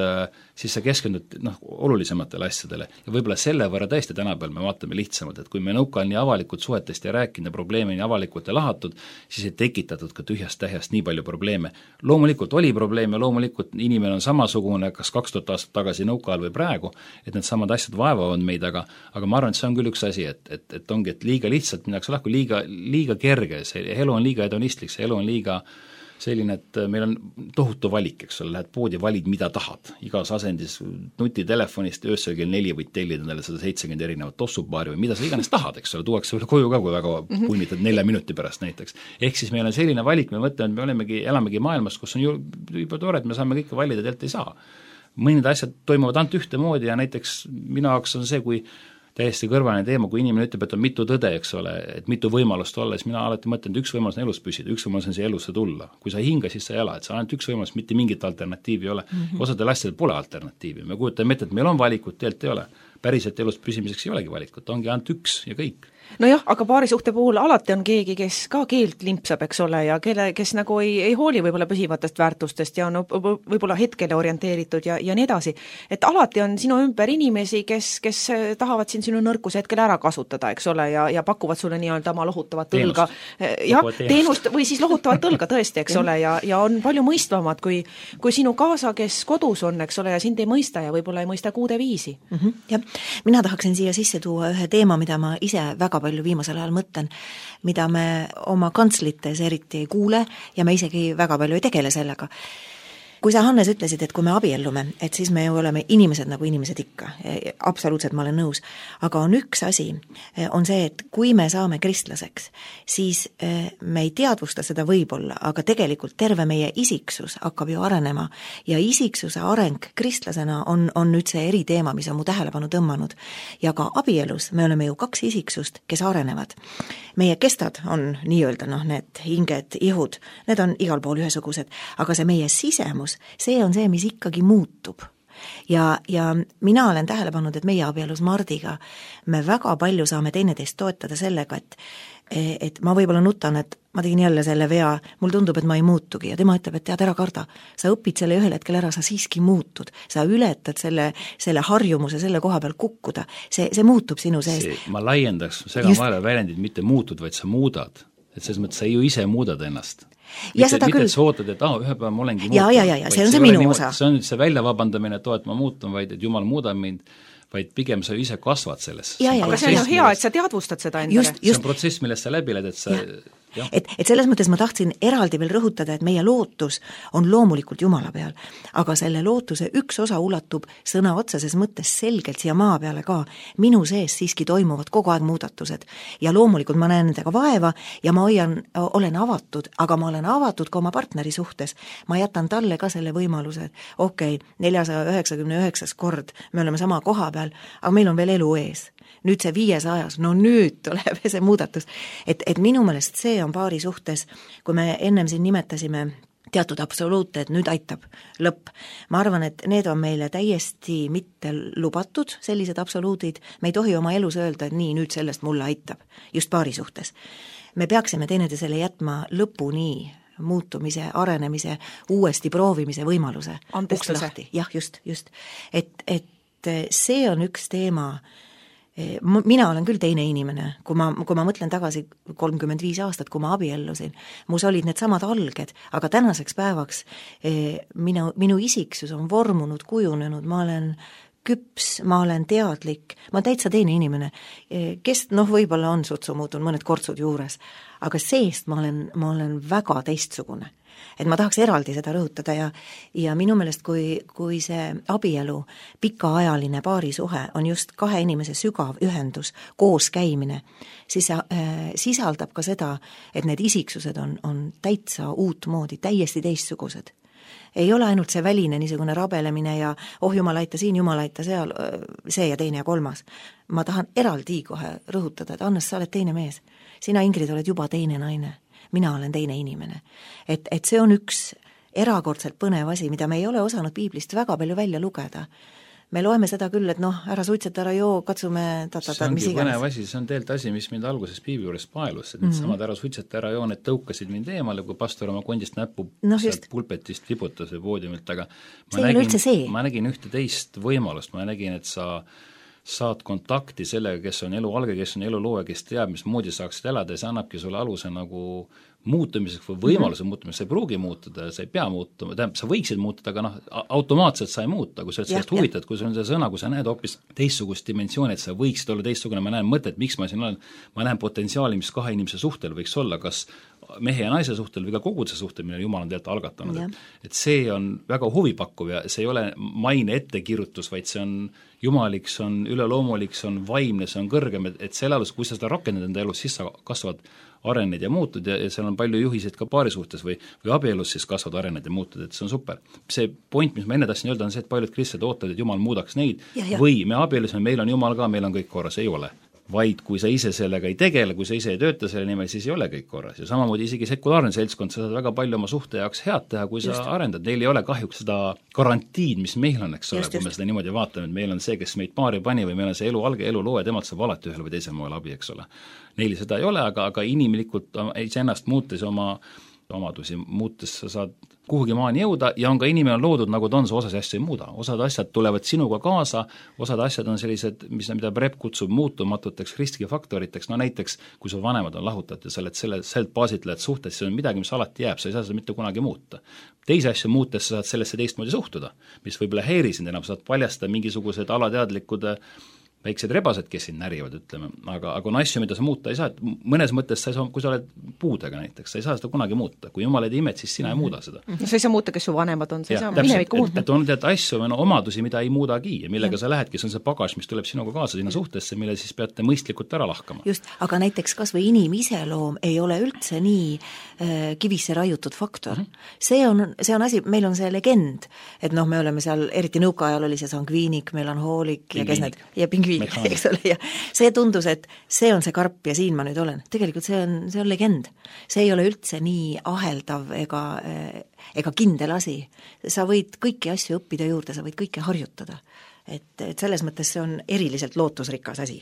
siis sa keskendud noh, olulisematele asjadele ja võib-olla selle võrra tõesti tänapäeval me vaatame lihtsamalt, et kui me nõuka on nii avalikult suhetest ja rääkinud ja probleeme nii avalikult ja lahatud, siis ei tekitatud ka tühjast tähjast nii palju probleeme. Loomulikult oli probleeme, loomulikult inimene on samasugune kas kaks tuhat aastat tagasi nõuka all või praegu, et need samad asjad vaevavad meid, aga, aga ma arvan, et see on küll üks asi, et, et, et ongi, et liiga lihtsalt minnakse lahku, liiga, liiga kerge, see elu on liiga hedonistlik, see elu on liiga selline, et meil on tohutu valik, eks ole, lähed poodi, valid mida tahad, igas asendis nutitelefonist öösel kell neli võid tellida endale sada seitsekümmend erinevat tossupaari või mida sa iganes tahad, eks ole, tuuakse veel koju ka, kui väga punnitad nelja minuti pärast näiteks. Ehk siis meil on selline valik, me mõtleme, et me olemegi, elamegi maailmas, kus on ju juba tore, et me saame kõike valida, tegelikult ei saa. Mõned asjad toimuvad ainult ühtemoodi ja näiteks minu jaoks on see, kui täiesti kõrvaline teema, kui inimene ütleb, et on mitu tõde, eks ole, et mitu võimalust olla, siis mina alati mõtlen, et üks võimalus on elus püsida, üks võimalus on see elusse tulla. Kui sa hinga, siis sa ei ela, et sa ainult üks võimalus, mitte mingit alternatiivi ei ole. Mm-hmm. Osadel asjadel pole alternatiivi. Me kujutame ette, et meil on valikut, teelt ei ole. päriselt elus püsimiseks ei olegi valikut, ongi ainult üks ja kõik. Nojah, aga paarisuhte puhul alati on keegi, kes ka keelt limpsab, eks ole, ja kelle, kes nagu ei, ei hooli võib-olla püsivatest väärtustest ja on võib-olla hetkele orienteeritud ja, ja nii edasi. Et alati on sinu ümber inimesi, kes, kes tahavad siin sinu nõrkuse hetkel ära kasutada, eks ole, ja, ja pakuvad sulle nii-öelda oma lohutavat õlga. Ja, teenust või siis lohutavat õlga tõesti, eks ole, ja, ja on palju mõistvamad kui, kui sinu kaasa, kes kodus on, eks ole, ja sind ei mõista ja võib-olla ei mõista kuude viisi. Mm-hmm. Ja mina tahaksin siia sisse tuua ühe teema, mida ma ise väga palju viimasel ajal mõtlen, mida me oma kantslites eriti ei kuule ja me isegi väga palju ei tegele sellega. Kui sa, Hannes, ütlesid, et kui me abiellume, et siis me ju oleme inimesed nagu inimesed ikka, absoluutselt ma olen nõus, aga on üks asi, on see, et kui me saame kristlaseks, siis me ei teadvusta seda võib-olla, aga tegelikult terve meie isiksus hakkab ju arenema ja isiksuse areng kristlasena on, on nüüd see eriteema, mis on mu tähelepanu tõmmanud. Ja ka abielus me oleme ju kaks isiksust, kes arenevad. Meie kestad on nii-öelda, noh, need hinged, ihud, need on igal pool ühesugused, aga see meie sisemus, see on see, mis ikkagi muutub. Ja, ja mina olen tähele pannud, et meie abielus Mardiga me väga palju saame teineteist toetada sellega, et, et ma võib-olla nutan, et ma tegin jälle selle vea, mul tundub, et ma ei muutugi ja tema ütleb, et tead, ära karda. Sa õpid selle ühel hetkel ära, sa siiski muutud. Sa ületad selle, selle harjumuse selle koha peal kukkuda. See, see muutub sinu sees. See, ma laiendaks, segan Just... vahele väljendid, mitte muutud, vaid sa muudad. Et selles mõttes sa ju ise muudad ennast. Ja mitte, mitte küll... et sa ootad, et ah, ühe päeva ma olengi muutunud. Ja, ja, ja, ja see on see minu nii, osa. See on nüüd see välja vabandamine, et, et ma muutun, vaid et Jumal muudab mind, vaid pigem sa ise kasvad selles. Ja, ja, aga see on ju hea, et sa teadvustad seda endale. Just, just. See on protsess, millest sa läbi lähed, et sa... Ja. Et, et selles mõttes ma tahtsin eraldi veel rõhutada, et meie lootus on loomulikult Jumala peal, aga selle lootuse üks osa ulatub sõna otseses mõttes selgelt siia maa peale ka. Minu sees siiski toimuvad kogu aeg muudatused ja loomulikult ma näen nendega vaeva ja ma hoian, olen avatud, aga ma olen avatud ka oma partneri suhtes. Ma jätan talle ka selle võimaluse, et okei, neljasaja üheksakümne üheksas kord me oleme sama koha peal, aga meil on veel elu ees. Nüüd see viiesajas, no nüüd tuleb see muudatus. Et, et minu meelest see on paari suhtes, kui me ennem siin nimetasime teatud absoluute, et nüüd aitab lõpp. Ma arvan, et need on meile täiesti mitte lubatud, sellised absoluudid. Me ei tohi oma elus öelda, et nii, nüüd sellest mulle aitab, just paari suhtes. Me peaksime teineteisele jätma lõpuni muutumise, arenemise, uuesti proovimise võimaluse. Andestuse. Jah, just, just. Et, et see on üks teema. Mina olen küll teine inimene, kui ma, kui ma mõtlen tagasi kolmkümmend viis aastat, kui ma abiellusin. Mus olid need samad alged, aga tänaseks päevaks minu, minu isiksus on vormunud, kujunenud, ma olen küps, ma olen teadlik, ma olen täitsa teine inimene, kes noh, võib-olla on sutsu muutunud mõned kortsud juures, aga seest ma olen, ma olen väga teistsugune. Et ma tahaks eraldi seda rõhutada ja, ja minu meelest, kui, kui see abielu, pikaajaline paarisuhe on just kahe inimese sügav ühendus, koos käimine, siis see äh, sisaldab ka seda, et need isiksused on, on täitsa uut moodi, täiesti teistsugused. Ei ole ainult see väline niisugune rabelemine ja oh jumal aita siin, jumal aita seal, see ja teine ja kolmas. Ma tahan eraldi kohe rõhutada, et Annes, sa oled teine mees. Sina, Ingrid, oled juba teine naine. Mina olen teine inimene. Et, et see on üks erakordselt põnev asi, mida me ei ole osanud piiblist väga palju välja lugeda. Me loeme seda küll, et noh, ära suitseta, ära joo, katsume tatata, see ongi põnev asi, see on teelt asi, mis mind alguses piibli juures paelus, et need mm-hmm. samad ära suitseta, ära joo, need tõukasid mind eemale, kui pastor oma kondist näppu no, sealt pulpetist vibutas või poodiumilt, aga ma nägin, ma nägin ühte teist võimalust, ma nägin, et sa saad kontakti sellega, kes on elu alge, kes on elu looja, kes teab, mis moodi saaksid elada ja see annabki sulle aluse nagu muutumiseks või võimaluse mm-hmm. muutumiseks, sa ei pruugi muutuda, sa ei pea muutuma, tähendab, sa võiksid muutuda, aga noh, automaatselt sa ei muuta, kui sa oled sellest huvitad, kui sul on see sõna, kui sa näed hoopis teistsugust dimensiooni, et sa võiksid olla teistsugune, ma näen mõtet, miks ma siin olen, ma näen potentsiaali, mis kahe inimese suhtel võiks olla, kas mehe ja naise suhtel või ka koguduse suhtel, mille Jumal on tegelikult algatanud, et, et see on väga huvipakkuv ja see ei ole maine ettekirjutus, vaid see on jumalik, see on üleloomulik, see on vaimne, see on kõrgem, et, et selle alus, kui sa seda rakendad enda elus, siis sa kasvad arened ja muutud ja, ja seal on palju juhiseid ka paari suhtes või, või abielus siis kasvad arened ja muutud, et see on super. See point, mis ma enne tahtsin öelda, on see, et paljud kristlased ootavad, et Jumal muudaks neid ja, ja. Või me abielusime, meil on Jumal ka, meil on kõik korras, ei ole. vaid kui sa ise sellega ei tegele, kui sa ise ei tööta selle nimel, siis ei ole kõik korras. Ja samamoodi isegi sekulaarne seltskond, sa saad väga palju oma suhte jaoks head teha, kui just. Sa arendad. Neil ei ole kahjuks seda garantiid, mis meil on, eks ole, kui me seda niimoodi vaatame, et meil on see, kes meid paari pani või meil on see elu alge, elu loo ja temalt saab alati ühel või teisel moel abi, eks ole. Neil seda ei ole, aga, aga inimlikult iseennast muutes oma omadusi muutes sa saad kuhugi maani jõuda ja on ka inimene on loodud, nagu ta on, sa osas asja ei muuda. Osad asjad tulevad sinuga kaasa, osad asjad on sellised, mis, mida Prep kutsub muutumatuteks riskifaktoriteks, no näiteks, kui su vanemad on lahutatud ja sa oled selle,selt baasitled suhtes, see on midagi, mis alati jääb, sa ei saa seda mitte kunagi muuta. Teise asja muutes sa saad sellesse teistmoodi suhtuda, mis võib-olla häiri sind enam, saad paljastada mingisugused alateadlikud väiksed rebased, kes siin närivad, ütleme, aga, aga on asju, mida sa muuta ei saa, et mõnes mõttes sa ei saa, kui sa oled puudega näiteks, sa ei saa seda kunagi muuta, kui jumal ei imet, siis sina ei muuda seda. No sa ei saa muuta, kes su vanemad on, sa ei saa minevikku muuta. Et on tead asju, no, omadusi, mida ei muudagi ja millega ja. Sa lähedki, see on see pagas, mis tuleb sinuga kaasa sinna suhtesse, mille siis peate mõistlikult ära lahkama. Just, aga näiteks kas või inimiseloom ei ole üldse nii äh, kivisse raiutud faktor. Mm-hmm. See on, see on asi, meil on see legend, et noh, me oleme seal, eriti nõukaajal oli see sangviinik, meil on hoolik ja kes need, ja pingviinik, eks ole, ja see tundus, et see on see karp ja siin ma nüüd olen. Tegelikult see on, see on legend. See ei ole üldse nii aheldav ega, ega kindel asi. Sa võid kõiki asju õppida juurde, sa võid kõike harjutada. Et, et selles mõttes see on eriliselt lootusrikas asi.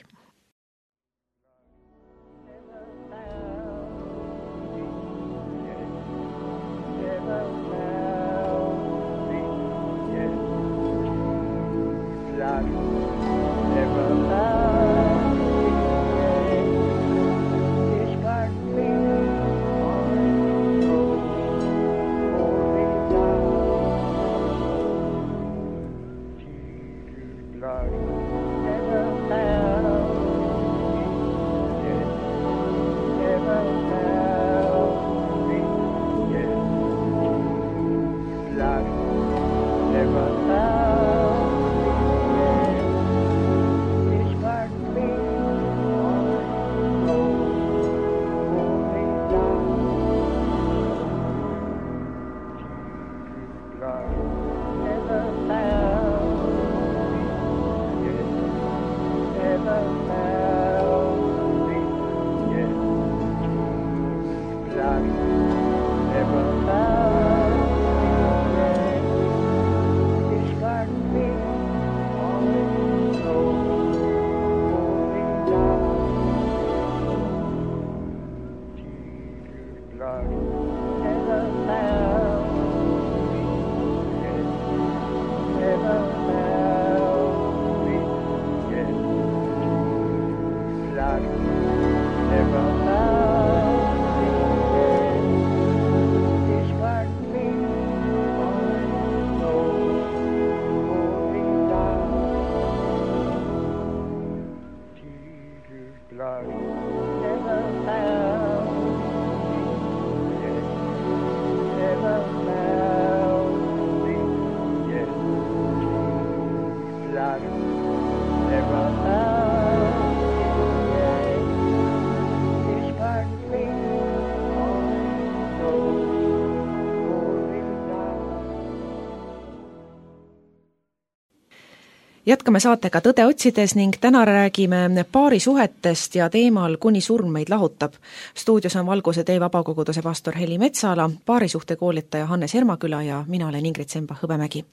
Jätkame saatega Tõde otsides ning täna räägime paari suhetest ja teemal Kuni surm meid lahutab. Stuudios on Valguse tee vabakoguduse pastor Heli Metsala, paarisuhte koolitaja Hannes Hermaküla ja mina olen Ingrid Semba-Hõbemägi.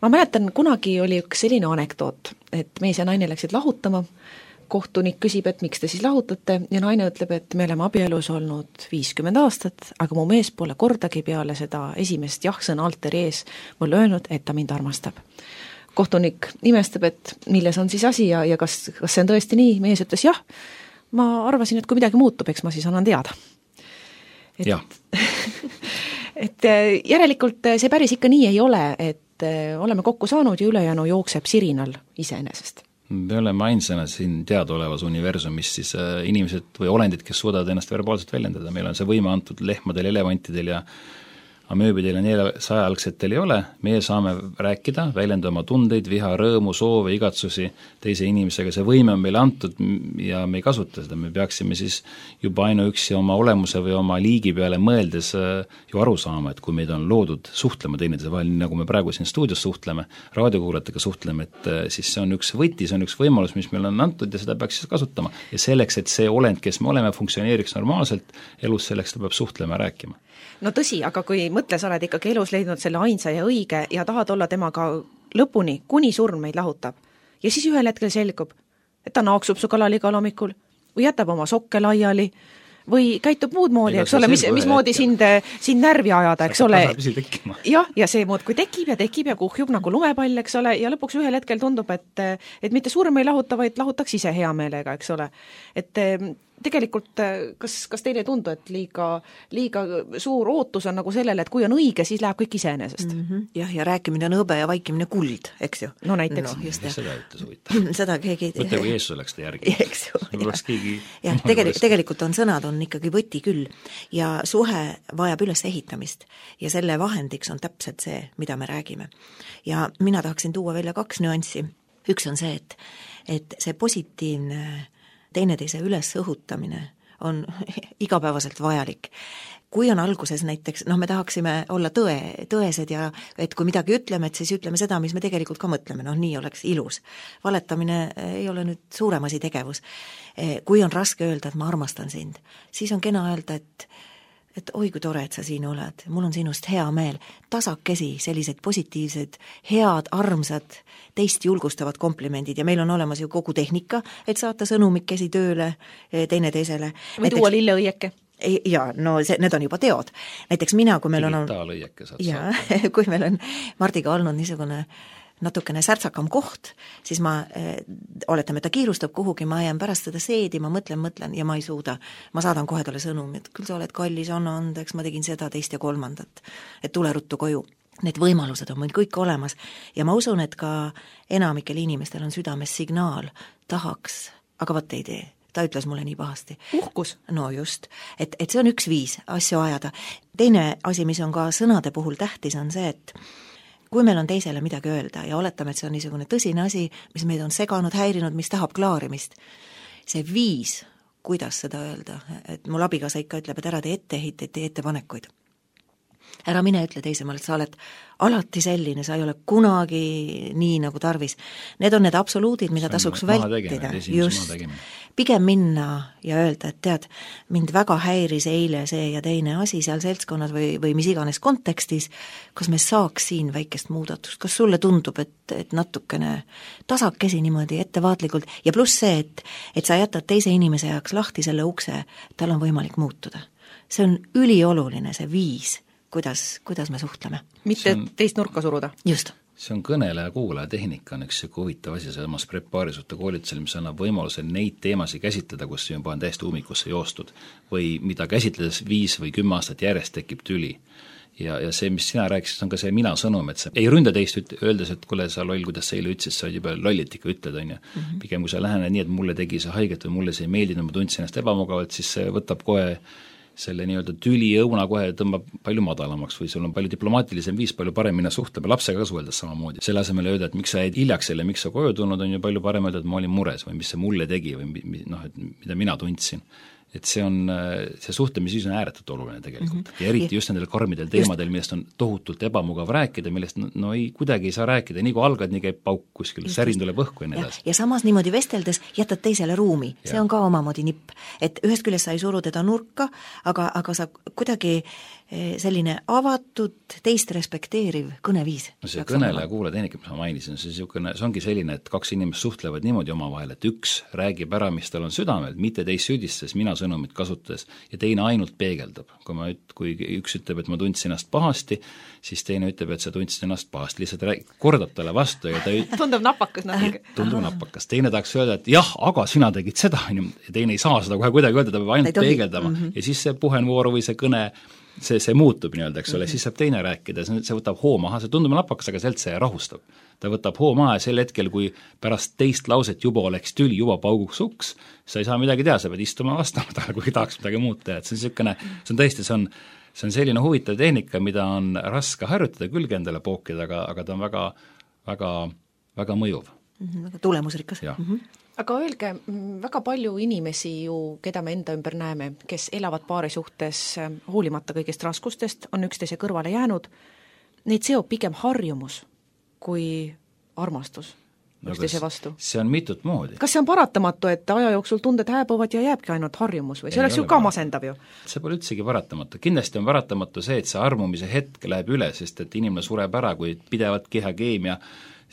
Ma mäletan, kunagi oli üks selline anekdoot, et mees ja naine läksid lahutama, kohtunik küsib, et miks te siis lahutate ja naine ütleb, et me oleme abielus olnud viiskümmend aastat, aga mu mees pole kordagi peale seda esimest jah-sõna alteri ees mulle öelnud, et ta mind armastab. Kohtunik imestab, et milles on siis asi ja, ja kas, kas see on tõesti nii, mees ütles jah, ma arvasin, et kui midagi muutub, eks ma siis annan teada. Et, jah. et järelikult see päris ikka nii ei ole, et oleme kokku saanud ja ülejäänu jookseb sirinal iseenesest. Me oleme ainsana siin teadaolevas universumis siis inimesed või olendid, kes suudavad ennast verbaalselt väljendada. Meil on see võime antud lehmadel, elevantidel ja amööbidel ja neljasajaalgsetel ei ole, meie saame rääkida, väljendada oma tundeid, viha, rõõmu, soove, igatsusi teise inimesega, see võime on meile antud ja me ei kasuta seda, me peaksime siis juba ainuüksi oma olemuse või oma liigi peale mõeldes ju aru saama, et kui meid on loodud suhtlema teineteise vahel, nii nagu me praegu siin stuudios suhtleme, raadiokuulajatega suhtleme, et siis see on üks võti, see on üks võimalus, mis meil on antud ja seda peaks siis kasutama. Ja selleks, et see olend, kes me oleme, funktsioneeriks normaalselt elus, selleks ta peab suhtlema ja rääkima. No tõsi, aga kui mõtle, sa oled ikkagi elus leidnud selle ainsa ja õige ja tahad olla temaga lõpuni, kuni surm meid lahutab. Ja siis ühel hetkel selgub, et ta naaksub su kallal igal hommikul või jätab oma sokke laiali või käitub muud moodi, eks ole, mis, mis moodi sind, sind närvi ajada, eks ole. Jah, ja see muud, kui tekib ja tekib ja kuhjub nagu lumepall, eks ole, ja lõpuks ühel hetkel tundub, et, et mitte surm ei lahuta, vaid lahutaks ise hea meelega, eks ole. Et tegelikult, kas, kas teile ei tundu, et liiga, liiga suur ootus on nagu sellele, et kui on õige, siis läheb kõik iseenesest? Mm -hmm. Jah, ja rääkimine on hõbe ja vaikimine kuld, eks ju? No näiteks. No, just, seda ütles huvitav. Seda keegi... Mõtle, kui Jeesus oleks ta järgi. Eks ju. Oleks keegi... Ja, tegelikult, tegelikult on sõnad on ikkagi võti küll ja suhe vajab üles ehitamist ja selle vahendiks on täpselt see, mida me räägime. Ja mina tahaksin tuua välja kaks nüanssi. Üks on see, et, et see positiivne teineteise üles õhutamine on igapäevaselt vajalik. Kui on alguses näiteks, noh me tahaksime olla tõe, tõesed ja et kui midagi ütleme, et siis ütleme seda, mis me tegelikult ka mõtleme, noh nii oleks ilus. Valetamine ei ole nüüd suurem asi tegevus. Kui on raske öelda, et ma armastan sind, siis on kena öelda, et et oi kui tore, et sa siin oled, mul on sinust hea meel, tasakesi sellised positiivsed, head, armsad, teist julgustavad komplimendid ja meil on olemas ju kogu tehnika, et saata sõnumikesi tööle teineteisele. Või tuua lilleõieke. Ja, no see, need on juba teod. Näiteks mina, kui meil on... Digitaalõieke saad ja, kui meil on Mardiga olnud niisugune natukene särtsakam koht, siis ma, oletame, ta kiirustab kuhugi, ma jään pärast seda seedi, ma mõtlen, mõtlen ja ma ei suuda. Ma saadan kohe talle sõnumi, et küll sa oled kallis, anna andeks, ma tegin seda, teist ja kolmandat, et tule ruttu koju. Need võimalused on meil kõik olemas ja ma usun, et ka enamikel inimestel on südames signaal, tahaks, aga võt ei tee. Ta ütles mulle nii pahasti. Uhkus. No just, et, et see on üks viis asju ajada. Teine asi, mis on ka sõnade puhul tähtis, on see, et kui meil on teisele midagi öelda ja oletame, et see on niisugune tõsine asi, mis meid on seganud, häirinud, mis tahab klaarimist, see viis, kuidas seda öelda, et mul abikaasa ikka ütleb, et ära tee etteheiteid, tee ettepanekuid. Ära mine ütle teisemale, et sa oled alati selline, sa ei ole kunagi nii nagu tarvis. Need on need absoluudid, mida tasuks vältida. Just. Pigem minna ja öelda, et tead, mind väga häiris eile see ja teine asi seal seltskonnas või, või mis iganes kontekstis, kas me saaks siin väikest muudatust, kas sulle tundub, et, et natukene tasakesi niimoodi ettevaatlikult ja pluss see, et, et sa jätad teise inimese jaoks lahti selle ukse, tal on võimalik muutuda. See on ülioluline, see viis, kuidas, kuidas me suhtleme. Mitte on, teist nurka suruda. Just. See on kõneleja kuulaja tehnika, on üks huvitav asi samas prepaarisutte koolitusel, mis annab võimaluse neid teemasid käsitleda, kus juba on täiesti ummikusse joostud või mida käsitledes viis või kümme aastat järjest tekib tüli. Ja, ja see, mis sina rääkisid, on ka see mina sõnum, et sa ei ründa teist öeldes, et kuule, sa loll, kuidas sa eile ütlesid, sa juba lollit ikka ütled, on ju. Mm -hmm. Pigem kui sa lähened nii, et mulle tegi see haiget või mulle see ei meeldinud, ma tundsin ennast ebamugavalt, siis see võtab kohe selle nii-öelda tüli õuna kohe tõmbab palju madalamaks või sul on palju diplomaatilisem viis, palju parem minna suhtlema, lapsega ka suheldes samamoodi. Selle asemel öelda, et miks sa jäid hiljaks selle, miks sa koju tulnud, on ju palju parem öelda, et ma olin mures või mis see mulle tegi või noh, et mida mina tundsin. Et see on, see suhtlemisviis on ääretult oluline tegelikult. Mm -hmm. Ja eriti just nendel karmidel teemadel, millest on tohutult ebamugav rääkida, millest no, no ei, kuidagi ei saa rääkida, nii kui algad, nii käib pauk kuskil, särin tuleb õhku ja nii edasi. Ja samas niimoodi vesteldes jätad teisele ruumi, see on ka omamoodi nipp. Et ühest küljest sa ei suru teda nurka, aga, aga sa kuidagi selline avatud, teist respekteeriv kõneviis. No see kõneleja kuula tehnika, mis ma mainisin, see, siukene, see ongi selline, et kaks inimest suhtlevad niimoodi omavahel, et üks räägib ära, mis tal on südamel, mitte teist süüdistes, mina sõnumit kasutades ja teine ainult peegeldab. Kui, ma, kui üks ütleb, et ma tundsin ennast pahasti, siis teine ütleb, et sa tundsid ennast pahasti, lihtsalt rääg, kordab talle vastu ja ta üt... tundub napakas natuke. Tundub napakas. Teine tahaks öelda, et jah, aga sina tegid seda, ja teine ei saa seda kohe kuidagi öelda, ta peab ainult peegeldama mm -hmm. ja siis see puhenvooru või see kõne see, see muutub nii-öelda, eks ole, mm -hmm. siis saab teine rääkida, see võtab hoo maha, see tundub napakas, aga sealt see rahustab. Ta võtab hoo maha ja sel hetkel, kui pärast teist lauset juba oleks tüli, juba pauguks uks, sa ei saa midagi teha, sa pead istuma vastama talle, kui tahaks midagi muud teha, et see on niisugune, see on tõesti, see on see on selline huvitav tehnika, mida on raske harjutada, külge endale pookida, aga, aga ta on väga, väga, väga mõjuv. Mm-hmm, väga tulemusrikas. Mm-hmm. Aga öelge, väga palju inimesi ju, keda me enda ümber näeme, kes elavad paari suhtes hoolimata kõigist raskustest, on üksteise kõrvale jäänud, neid seob pigem harjumus kui armastus üksteise vastu. See on mitut moodi. Kas see on paratamatu, et aja jooksul tunded hääbuvad ja jääbki ainult harjumus või see ei oleks ju ka masendav ju? See pole üldsegi paratamatu. Kindlasti on paratamatu see, et see armumise hetk läheb üle, sest et inimene sureb ära, kui pidevat kehakeemia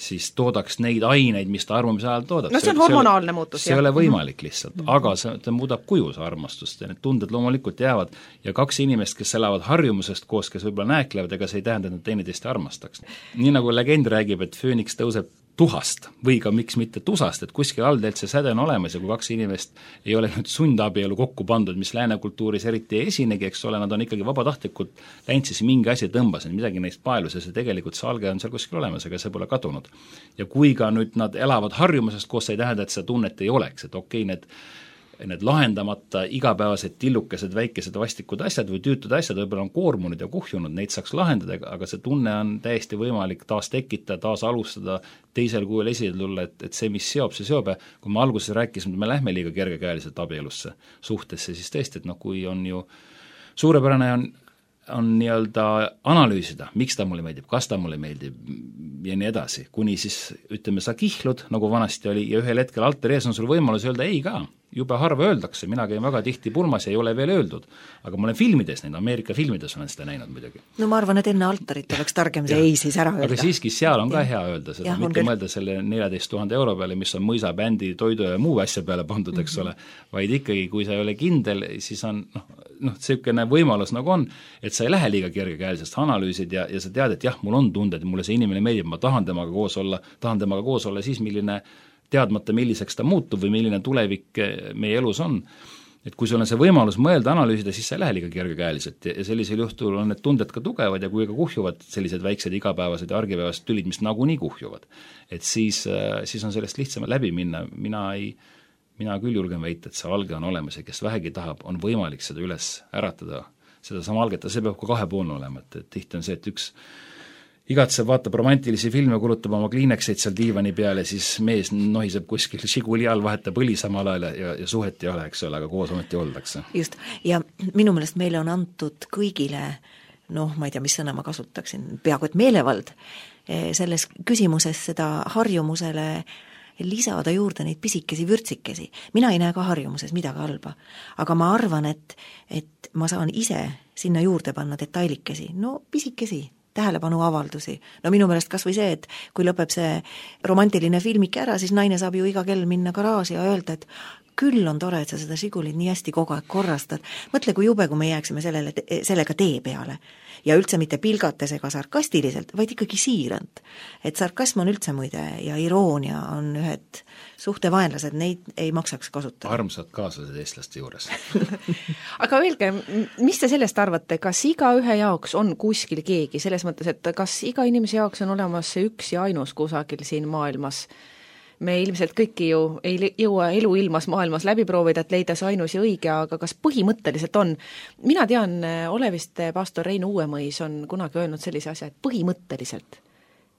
siis toodaks neid aineid, mis ta armumise ajal toodab. No see on hormonaalne muutus. See ei ole võimalik lihtsalt, mm-hmm. aga see, ta muudab kuju see armastust ja need tunded loomulikult jäävad ja kaks inimest, kes elavad harjumusest koos, kes võib-olla nääklevad, ega see ei tähenda, et nad teineteist armastaks. Nii nagu legend räägib, et fööniks tõuseb tuhast või ka miks mitte tusast, et kuskil allteelt see säde on olemas ja kui kaks inimest ei ole nüüd sundabielu kokku pandud, mis lääne kultuuris eriti ei esinegi, eks ole, nad on ikkagi vabatahtlikult läinud siis mingi asi tõmbas, midagi neist paelus ja see tegelikult see alge on seal kuskil olemas, aga see pole kadunud. Ja kui ka nüüd nad elavad harjumusest koos, see ei tähenda, et seda tunnet ei oleks, et okei, need need lahendamata igapäevased tillukesed, väikesed vastikud asjad või tüütud asjad võib-olla on koormunud ja kuhjunud, neid saaks lahendada, aga see tunne on täiesti võimalik taas tekitada, taas alustada, teisel kujul esile tulla, et, et see, mis seob, see seob ja kui me alguses rääkisime, et me lähme liiga kergekäeliselt abielusse suhtesse, siis tõesti, et noh, kui on ju suurepärane on on nii-öelda analüüsida, miks ta mulle meeldib, kas ta mulle meeldib ja nii edasi, kuni siis ütleme, sa kihlud, nagu vanasti oli, ja ühel hetkel alter ees on sul võimalus öelda ei ka, jube harva öeldakse, mina käin väga tihti pulmas ja ei ole veel öeldud, aga ma olen filmides näinud, Ameerika filmides olen seda näinud muidugi. No ma arvan, et enne altarit oleks targem see ei siis ära öelda. Aga siiski seal on ka hea öelda seda, mitte mõelda selle neljateist tuhande euro peale, mis on mõisa bändi, toidu ja muu asja peale pandud, eks ole, vaid ikkagi, kui sa ei ole kindel, siis on noh, noh, selline võimalus nagu on, et sa ei lähe liiga kergekäelisest, analüüsid ja, ja sa tead, et jah, mul on tunded, mulle see inimene meeldib, ma tahan temaga koos olla, tahan temaga koos olla siis, milline teadmata, milliseks ta muutub või milline tulevik meie elus on. Et kui sul on see võimalus mõelda, analüüsida, siis sa ei lähe liiga kergekäeliselt ja sellisel juhtul on need tunded ka tugevad ja kui ka kuhjuvad sellised väiksed igapäevased ja argipäevased tülid, mis nagunii kuhjuvad, et siis, siis on sellest lihtsam läbi minna, mina ei mina küll julgen väita, et see alge on olemas ja kes vähegi tahab, on võimalik seda üles äratada, seda sama alget, see peab ka kahepoolne olema, et, et tihti on see, et üks igatseb, vaatab romantilisi filme, kulutab oma kliinekseid seal diivani peale, siis mees nohiseb kuskil Žiguli all, vahetab õli samal ajal ja, ja suhet ei ole, eks ole, aga koos ometi oldakse. Just, ja minu meelest meile on antud kõigile, noh, ma ei tea, mis sõna ma kasutaksin, peaaegu et meelevald, selles küsimuses seda harjumusele lisada juurde neid pisikesi vürtsikesi. Mina ei näe ka harjumuses midagi halba, aga ma arvan, et, et ma saan ise sinna juurde panna detailikesi, no pisikesi, tähelepanu avaldusi. No minu meelest kas või see, et kui lõpeb see romantiline filmik ära, siis naine saab ju iga kell minna garaaži ja öelda, et küll on tore, et sa seda Žigulit nii hästi kogu aeg korrastad. Mõtle, kui jube, kui me jääksime sellele, sellega tee peale. Ja üldse mitte pilgates ega sarkastiliselt, vaid ikkagi siirant. Et sarkasm on üldse muide ja iroonia on ühed suhtevaenlased, neid ei maksaks kasutada. Armsad kaaslased eestlaste juures. Aga öelge, mis te sellest arvate, kas iga ühe jaoks on kuskil keegi, selles mõttes, et kas iga inimese jaoks on olemas see üks ja ainus kusagil siin maailmas? Me ilmselt kõiki ju ei jõua elu ilmas maailmas läbi proovida, et leida see ainus ja õige, aga kas põhimõtteliselt on? Mina tean, Olevist pastor Rein Uuemõis on kunagi öelnud sellise asja, et põhimõtteliselt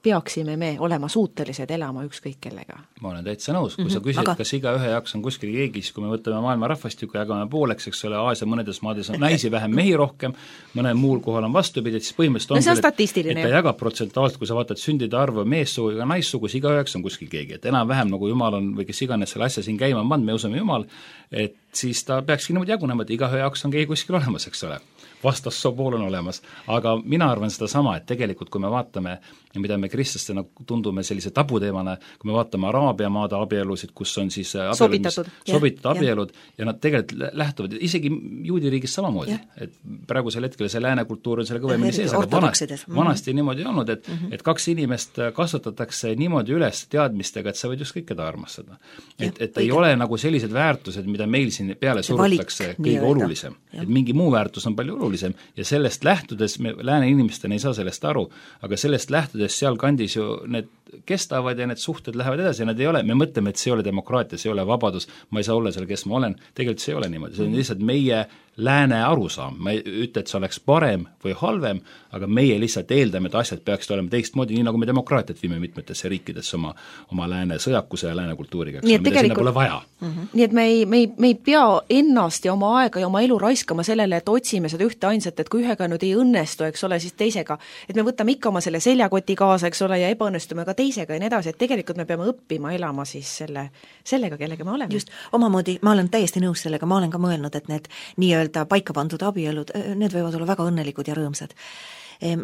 peaksime me olema suutelised elama ükskõik kellega. Ma olen täitsa nõus, kui mm-hmm. sa küsid, aga... kas iga ühe jaoks on kuskil keegi, siis kui me võtame maailma rahvastikku ja jagame pooleks, eks ole, Aasia mõnedes maades on naisi vähem, mehi rohkem, mõnel muul kohal on vastupidi, et siis põhimõtteliselt on, no, on küll, et, et ta jagab protsentuaalselt, kui sa vaatad sündide arvu meessugu ja naissugus, iga üheks on kuskil keegi, et enam-vähem nagu Jumal on või kes iganes selle asja siin käima on, me usume Jumal, et siis ta peakski niimoodi jagunema, et iga ühe jaoks on keegi kuskil olemas, eks ole. Vastassoo pool on olemas, aga mina arvan seda sama, et tegelikult kui me vaatame, mida me kristlastena tundume sellise tabuteemana, kui me vaatame Araabia maade abielusid, kus on siis abielud, sobitatud, sobitatud abielud ja. ja nad tegelikult lähtuvad isegi juudi riigis samamoodi, et praegusel hetkel see lääne kultuur on selle kõvemini sees, aga vanasti, vanasti mm-hmm. niimoodi olnud, et, mm-hmm. et kaks inimest kasvatatakse niimoodi üles teadmistega, et sa võid just kõik keda armastada. Et, et ei ole nagu sellised väärtused, mida meil siin peale surutakse kõige olulisem, et mingi muu väärtus on palju olulisem ja sellest lähtudes, me lääne inimestena ei saa sellest aru, aga sellest lähtudes seal kandis ju need kestavad ja need suhted lähevad edasi ja need ei ole, me mõtleme, et see ei ole demokraatia, see ei ole vabadus, ma ei saa olla seal, kes ma olen, tegelikult see ei ole niimoodi, see on lihtsalt meie lääne arusaam, ma ei ütle, et see oleks parem või halvem, aga meie lihtsalt eeldame, et asjad peaksid olema teistmoodi, nii nagu me demokraatiat viime mitmetesse riikidesse oma, oma lääne sõjakuse ja lääne kultuuriga, eks ole, mida sinna pole vaja. Mm-hmm. Nii et me ei, me, ei, me ei pea ennast ja oma aega ja oma elu raiskama sellele, et otsime seda ühte ainsat, et kui ühega nüüd ei õnnestu, eks ole, siis teisega, et me võtame ikka oma selle seljakoti kaasa, eks ole, ja ebaõnnestume ka teisega ja nii edasi, et tegelikult me peame õppima elama siis selle, sellega, kellega me oleme. Just, omamoodi, ma olen täiesti nõus sellega, ma olen ka mõelnud, et need nii-öelda paika pandud abielud, need võivad olla väga õnnelikud ja rõõmsad.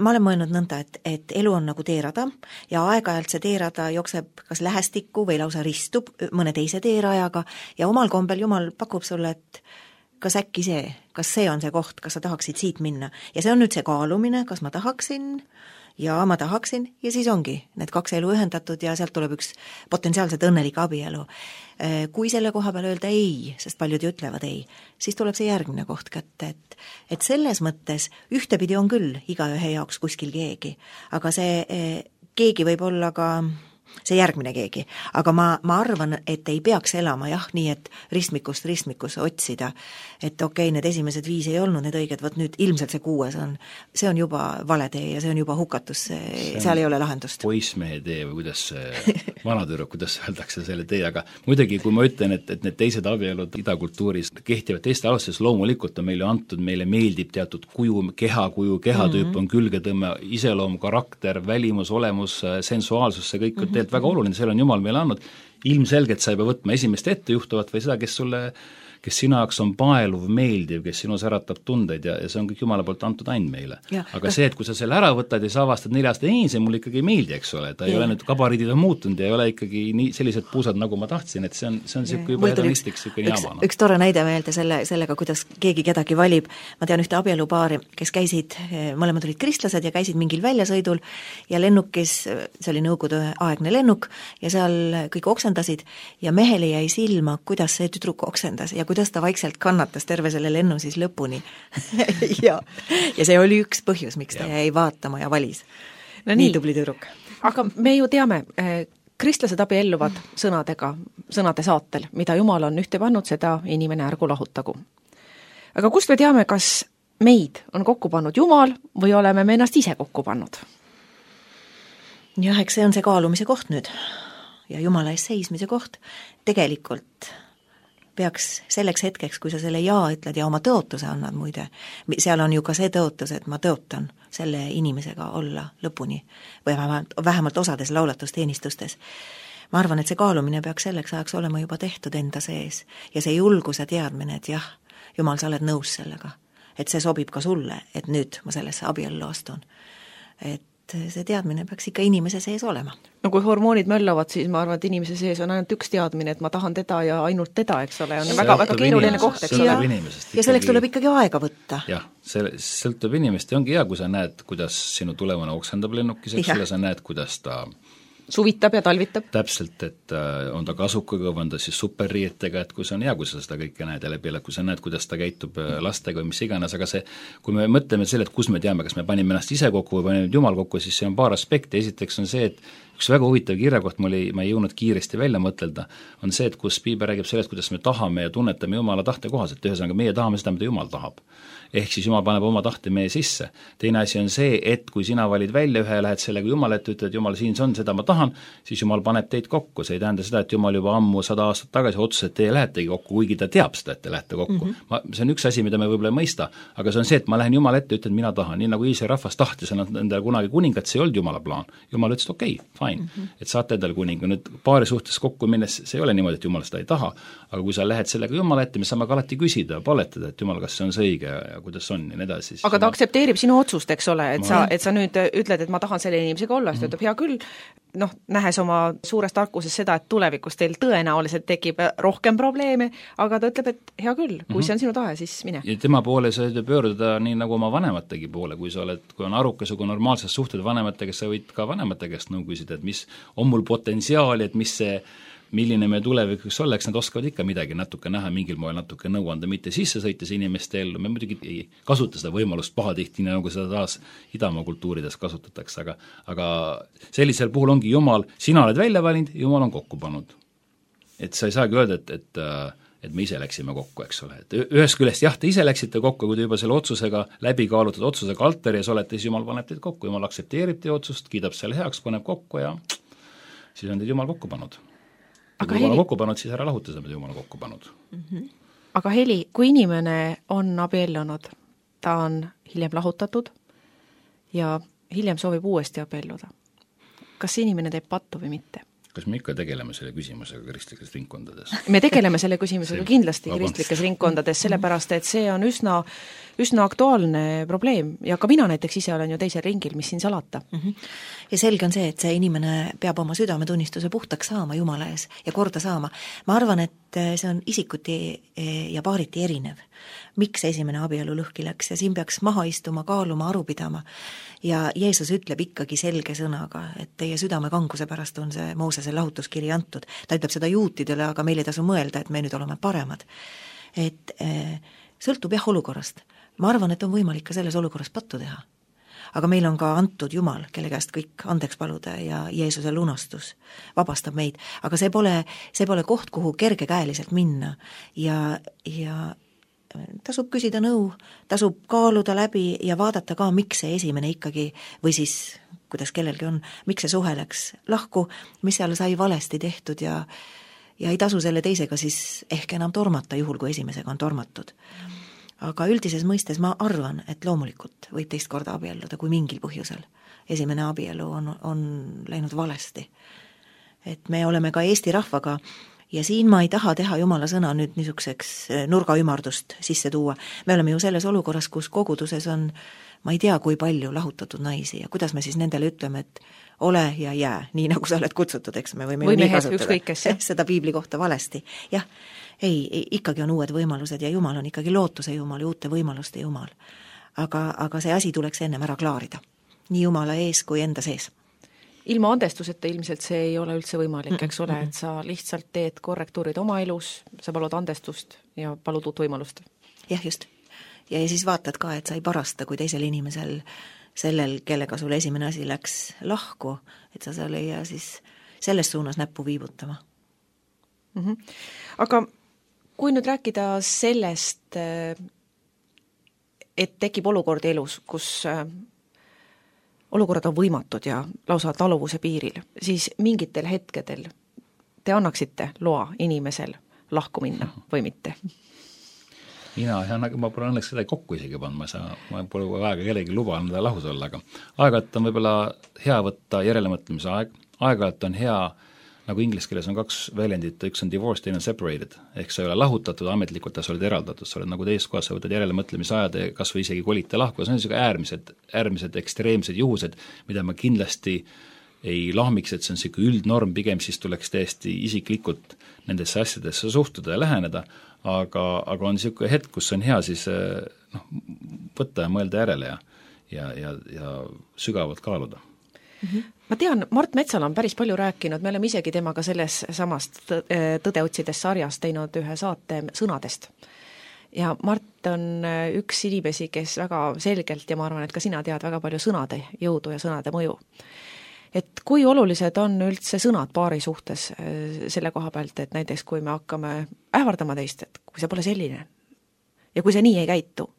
Ma olen mõelnud nõnda, et, et elu on nagu teerada ja aeg-ajalt see teerada jookseb kas lähestikku või lausa ristub mõne teise teerajaga ja omal kombel Jumal pakub sulle, et kas äkki see, kas see on see koht, kas sa tahaksid siit minna. Ja see on nüüd see kaalumine, kas ma tahaksin ja ma tahaksin ja siis ongi need kaks elu ühendatud ja sealt tuleb üks potentsiaalselt õnnelik abielu. Kui selle koha peal öelda ei, sest paljud ju ütlevad ei, siis tuleb see järgmine koht kätte, et, et selles mõttes ühtepidi on küll igaühe jaoks kuskil keegi, aga see keegi võib olla ka see järgmine keegi, aga ma, ma arvan, et ei peaks elama jah, nii et ristmikust ristmikusse otsida, et okei, okay, need esimesed viis ei olnud need õiged, võt nüüd ilmselt see kuues on, see on juba vale tee ja see on juba hukatus, seal ei ole lahendust. Poissmehe tee või kuidas vanatüdruk, kuidas öeldakse selle tee, aga muidugi kui ma ütlen, et, et need teised abielud idakultuuris kehtivad teiste alustes, loomulikult on meile antud, meile meeldib teatud kuju, kehakuju, kehatüüp mm -hmm. on külgetõmme, iseloom, karakter, välimus, olemus, sensuaalsus, see kõik mm -hmm. väga oluline, seal on Jumal meile andnud, ilmselgelt sa ei pea võtma esimest ettejuhtuvat või seda, kes sulle, kes sinu jaoks on paeluv, meeldiv, kes sinus äratab tundeid ja, ja see on kõik Jumala poolt antud ain meile. Ja, aga kas... see, et kui sa selle ära võtad ja sa avastad neli aastat, ei, see mulle ikkagi ei meeldi, eks ole, ta ja. ei ole nüüd, kabariidid on muutunud ja ei ole ikkagi nii sellised puusad, nagu ma tahtsin, et see on, see on siuke juba hedonistlik, siuke jaamana. Üks tore näide meelde selle, sellega, kuidas keegi kedagi valib, ma tean ühte abielupaari, kes käisid, mõlemad olid kristlased ja käisid mingil väljasõidul ja lennukis, see oli nõukogude aegne lennuk ja seal kõik oksendasid ja mehele jäi silma, kuidas see tüdruk oksendas ja kuidas ta vaikselt kannatas terve selle lennu siis lõpuni ja, ja see oli üks põhjus, miks ta ja. jäi vaatama ja valis. No nii, nii tubli tüdruk. Aga me ju teame, kristlased abielluvad sõnadega, sõnade saatel, mida Jumal on ühte pannud, seda inimene ärgu lahutagu. Aga kust me teame, kas meid on kokku pannud Jumal või oleme me ennast ise kokku pannud? Jah, eks see on see kaalumise koht nüüd ja Jumala ees seismise koht. Tegelikult peaks selleks hetkeks, kui sa selle jaa ütled ja oma tõotuse annad muide, seal on ju ka see tõotus, et ma tõotan selle inimesega olla lõpuni või vähemalt, vähemalt osades laulatusteenistustes. Ma arvan, et see kaalumine peaks selleks ajaks olema juba tehtud enda sees ja see julguse teadmine, et jah, Jumal, sa oled nõus sellega, et see sobib ka sulle, et nüüd ma sellesse abiellu astun. Et see teadmine peaks ikka inimese sees olema. No kui hormoonid möllavad, siis ma arvan, et inimese sees on ainult üks teadmine, et ma tahan teda ja ainult teda, eks ole, on väga, väga keeruline koht, eks ole. Ja, ja selleks tuleb ikkagi aega võtta. Jah, see sõltub inimest ja ongi hea, kui sa näed, kuidas sinu tulevane oksendab lennukis, eks ole, sa näed, kuidas ta suvitab ja talvitab. Täpselt, et on ta kasukaga või on ta siis superriietega, et kui see on hea, kui sa seda kõike näed ja läbi, kui sa näed, kuidas ta käitub lastega või mis iganes, aga see, kui me mõtleme selle, et kus me teame, kas me panime ennast ise kokku või panime Jumal kokku, siis see on paar aspekti, esiteks on see, et üks väga huvitav kirjakoht, ma, oli, ma ei jõudnud kiiresti välja mõtelda, on see, et kus Piibel räägib sellest, kuidas me tahame ja tunnetame Jumala tahte kohaselt, ühesõnaga meie tahame seda, mida Jumal tahab. Ehk siis Jumal paneb oma tahte meie sisse. Teine asi on see, et kui sina valid välja ühe ja lähed sellega Jumal ette, ütled, Jumal, siin see on, seda ma tahan, siis Jumal paneb teid kokku. See ei tähenda seda, et Jumal juba ammu sada aastat tagasi otsus, et teie lähetegi kokku, kuigi ta teab seda, et te lähete kokku. Mm -hmm. ma, see on üks asi, mida me võib-olla ei mõista, aga see on see, et ma lähen Jumal ette, ütlen, mina tahan, nii nagu Iisraeli rahvas tahtis endale kunagi kuningat, see ei olnud Jumala plaan. Jumal ütles, okei, okay, fine, mm -hmm. et saate endale kuninga. Nüüd paari suhtes kokku minnes, see ei ole niimoodi, et Jumal seda ei taha, aga kui sa lähed sellega Jumala ette, me saame ka alati küsida, paletada, et Jumal, kas see on see õige ja, ja kuidas on ja nii edasi. Aga ta aktsepteerib sinu otsust, eks ole, et ma... sa, et sa nüüd ütled, et ma tahan selle inimesega olla, siis ta ütleb, hea küll, noh, nähes oma suures tarkuses seda, et tulevikus teil tõenäoliselt tekib rohkem probleeme, aga ta ütleb, et hea küll, kui mm-hmm. see on sinu tahe, siis mine. Ja tema poole sa ütleb pöörduda nii nagu oma vanemategi poole, kui sa oled, kui on arukas, kui normaalses suhted vanematega, sa võid ka vanemate käest nõu küsida, et mis on mul potentsiaali, et mis see milline me tulevikus oleks, nad oskavad ikka midagi natuke näha, mingil moel natuke nõu anda, mitte sisse sõites inimeste ellu, me muidugi ei kasuta seda võimalust pahatihti, nagu seda taas Idamaa kultuurides kasutatakse, aga, aga sellisel puhul ongi Jumal, sina oled välja valinud, Jumal on kokku pannud. Et sa ei saagi öelda, et, et et me ise läksime kokku, eks ole, et ühest küljest jah, te ise läksite kokku, kui te juba selle otsusega, läbi kaalutud otsusega altaris olete, siis Jumal paneb teid kokku, Jumal aktsepteerib teie otsust, kiidab selle heaks, paneb kokku ja siis on teid Jumal kokku pannud. Kui Jumal on kokku pannud, siis ära lahuta seda, mida Jumal on kokku pannud. Mm-hmm. Aga Heli, kui inimene on abiellunud, ta on hiljem lahutatud ja hiljem soovib uuesti abielluda, kas see inimene teeb pattu või mitte? Kas me ikka tegeleme selle küsimusega kristlikes ringkondades? Me tegeleme selle küsimusega kindlasti kristlikes ringkondades, sellepärast et see on üsna, üsna aktuaalne probleem ja ka mina näiteks ise olen ju teisel ringil, mis siin salata. Mm-hmm. Ja selge on see, et see inimene peab oma südametunnistuse puhtaks saama Jumala ees ja korda saama. Ma arvan, et see on isikuti ja paariti erinev. Miks esimene abielu lõhki läks ja siin peaks maha istuma, kaaluma, aru pidama. Ja Jeesus ütleb ikkagi selge sõnaga, et teie südamekanguse pärast on see Moosese lahutuskiri antud. Ta ütleb seda juutidele, aga meil ei tasu mõelda, et me nüüd oleme paremad. Et äh, sõltub jah olukorrast. Ma arvan, et on võimalik ka selles olukorras pattu teha. Aga meil on ka antud Jumal, kelle käest kõik andeks paluda ja Jeesuse lunastus vabastab meid. Aga see pole, see pole koht, kuhu kergekäeliselt minna ja, ja tasub küsida nõu, tasub kaaluda läbi ja vaadata ka, miks see esimene ikkagi, või siis, kuidas kellelgi on, miks see suhe läks lahku, mis seal sai valesti tehtud ja, ja ei tasu selle teisega siis ehk enam tormata, juhul kui esimesega on tormatud. Aga üldises mõistes ma arvan, et loomulikult võib teist korda abielluda, kui mingil põhjusel. Esimene abielu on, on läinud valesti. Et me oleme ka Eesti rahvaga ja siin ma ei taha teha Jumala sõna nüüd niisuguseks nurgaümardust sisse tuua. Me oleme ju selles olukorras, kus koguduses on, ma ei tea, kui palju lahutatud naisi ja kuidas me siis nendele ütleme, et ole ja jää, nii nagu sa oled kutsutud, eks me võime või ju nii mehed, kasutada seda piibli kohta valesti. Jah, ei, ei, ikkagi on uued võimalused ja Jumal on ikkagi lootuse Jumal ja uute võimaluste Jumal. Aga, aga see asi tuleks ennem ära klaarida. Nii Jumala ees kui enda sees. Ilma andestuseta ilmselt see ei ole üldse võimalik, eks ole, et sa lihtsalt teed korrektuurid oma elus, sa palud andestust ja palud uut võimalust. Jah, just. Ja, ja siis vaatad ka, et sa ei parasta, kui teisel inimesel, sellel, kellega sul esimene asi läks lahku, et sa seal ei jää siis selles suunas näppu viibutama. Mm-hmm. Aga kui nüüd rääkida sellest, et tekib olukord elus, kus olukorrad on võimatud ja lausa taluvuse piiril, siis mingitel hetkedel te annaksite loa inimesel lahku minna või mitte? Mina, ma pole õnneks seda kokku isegi pannud, ma, saa, ma pole aega kellegi luba anda lahus olla, aga aeg-ajalt on võib-olla hea võtta järelemõtlemise aeg, aeg-ajalt on hea, nagu inglise keeles on kaks väljendit, üks on divorced, teine on separated, ehk sa ei ole lahutatud ametlikult, sa oled eraldatud, sa oled nagu teist kohas, sa võtad järelemõtlemise ajad ja kas või isegi kolite lahku, see on niisugune äärmised, äärmised ekstreemsed juhused, mida ma kindlasti ei lahmiks, et see on niisugune üldnorm, pigem siis tuleks täiesti isiklikult nendesse asjadesse suhtuda ja läheneda, aga, aga on niisugune hetk, kus on hea siis noh, võtta ja mõelda järele ja, ja, ja, ja sügavalt kaaluda. Mm-hmm. Ma tean, Mart Metsala on päris palju rääkinud, me oleme isegi temaga selles samast Tõde otsides sarjas teinud ühe saate sõnadest. Ja Mart on üks inimesi, kes väga selgelt, ja ma arvan, et ka sina tead väga palju sõnade jõudu ja sõnade mõju. Et kui olulised on üldse sõnad paari suhtes selle koha pealt, et näiteks kui me hakkame ähvardama teist, et kui see pole selline ja kui see nii ei käitu,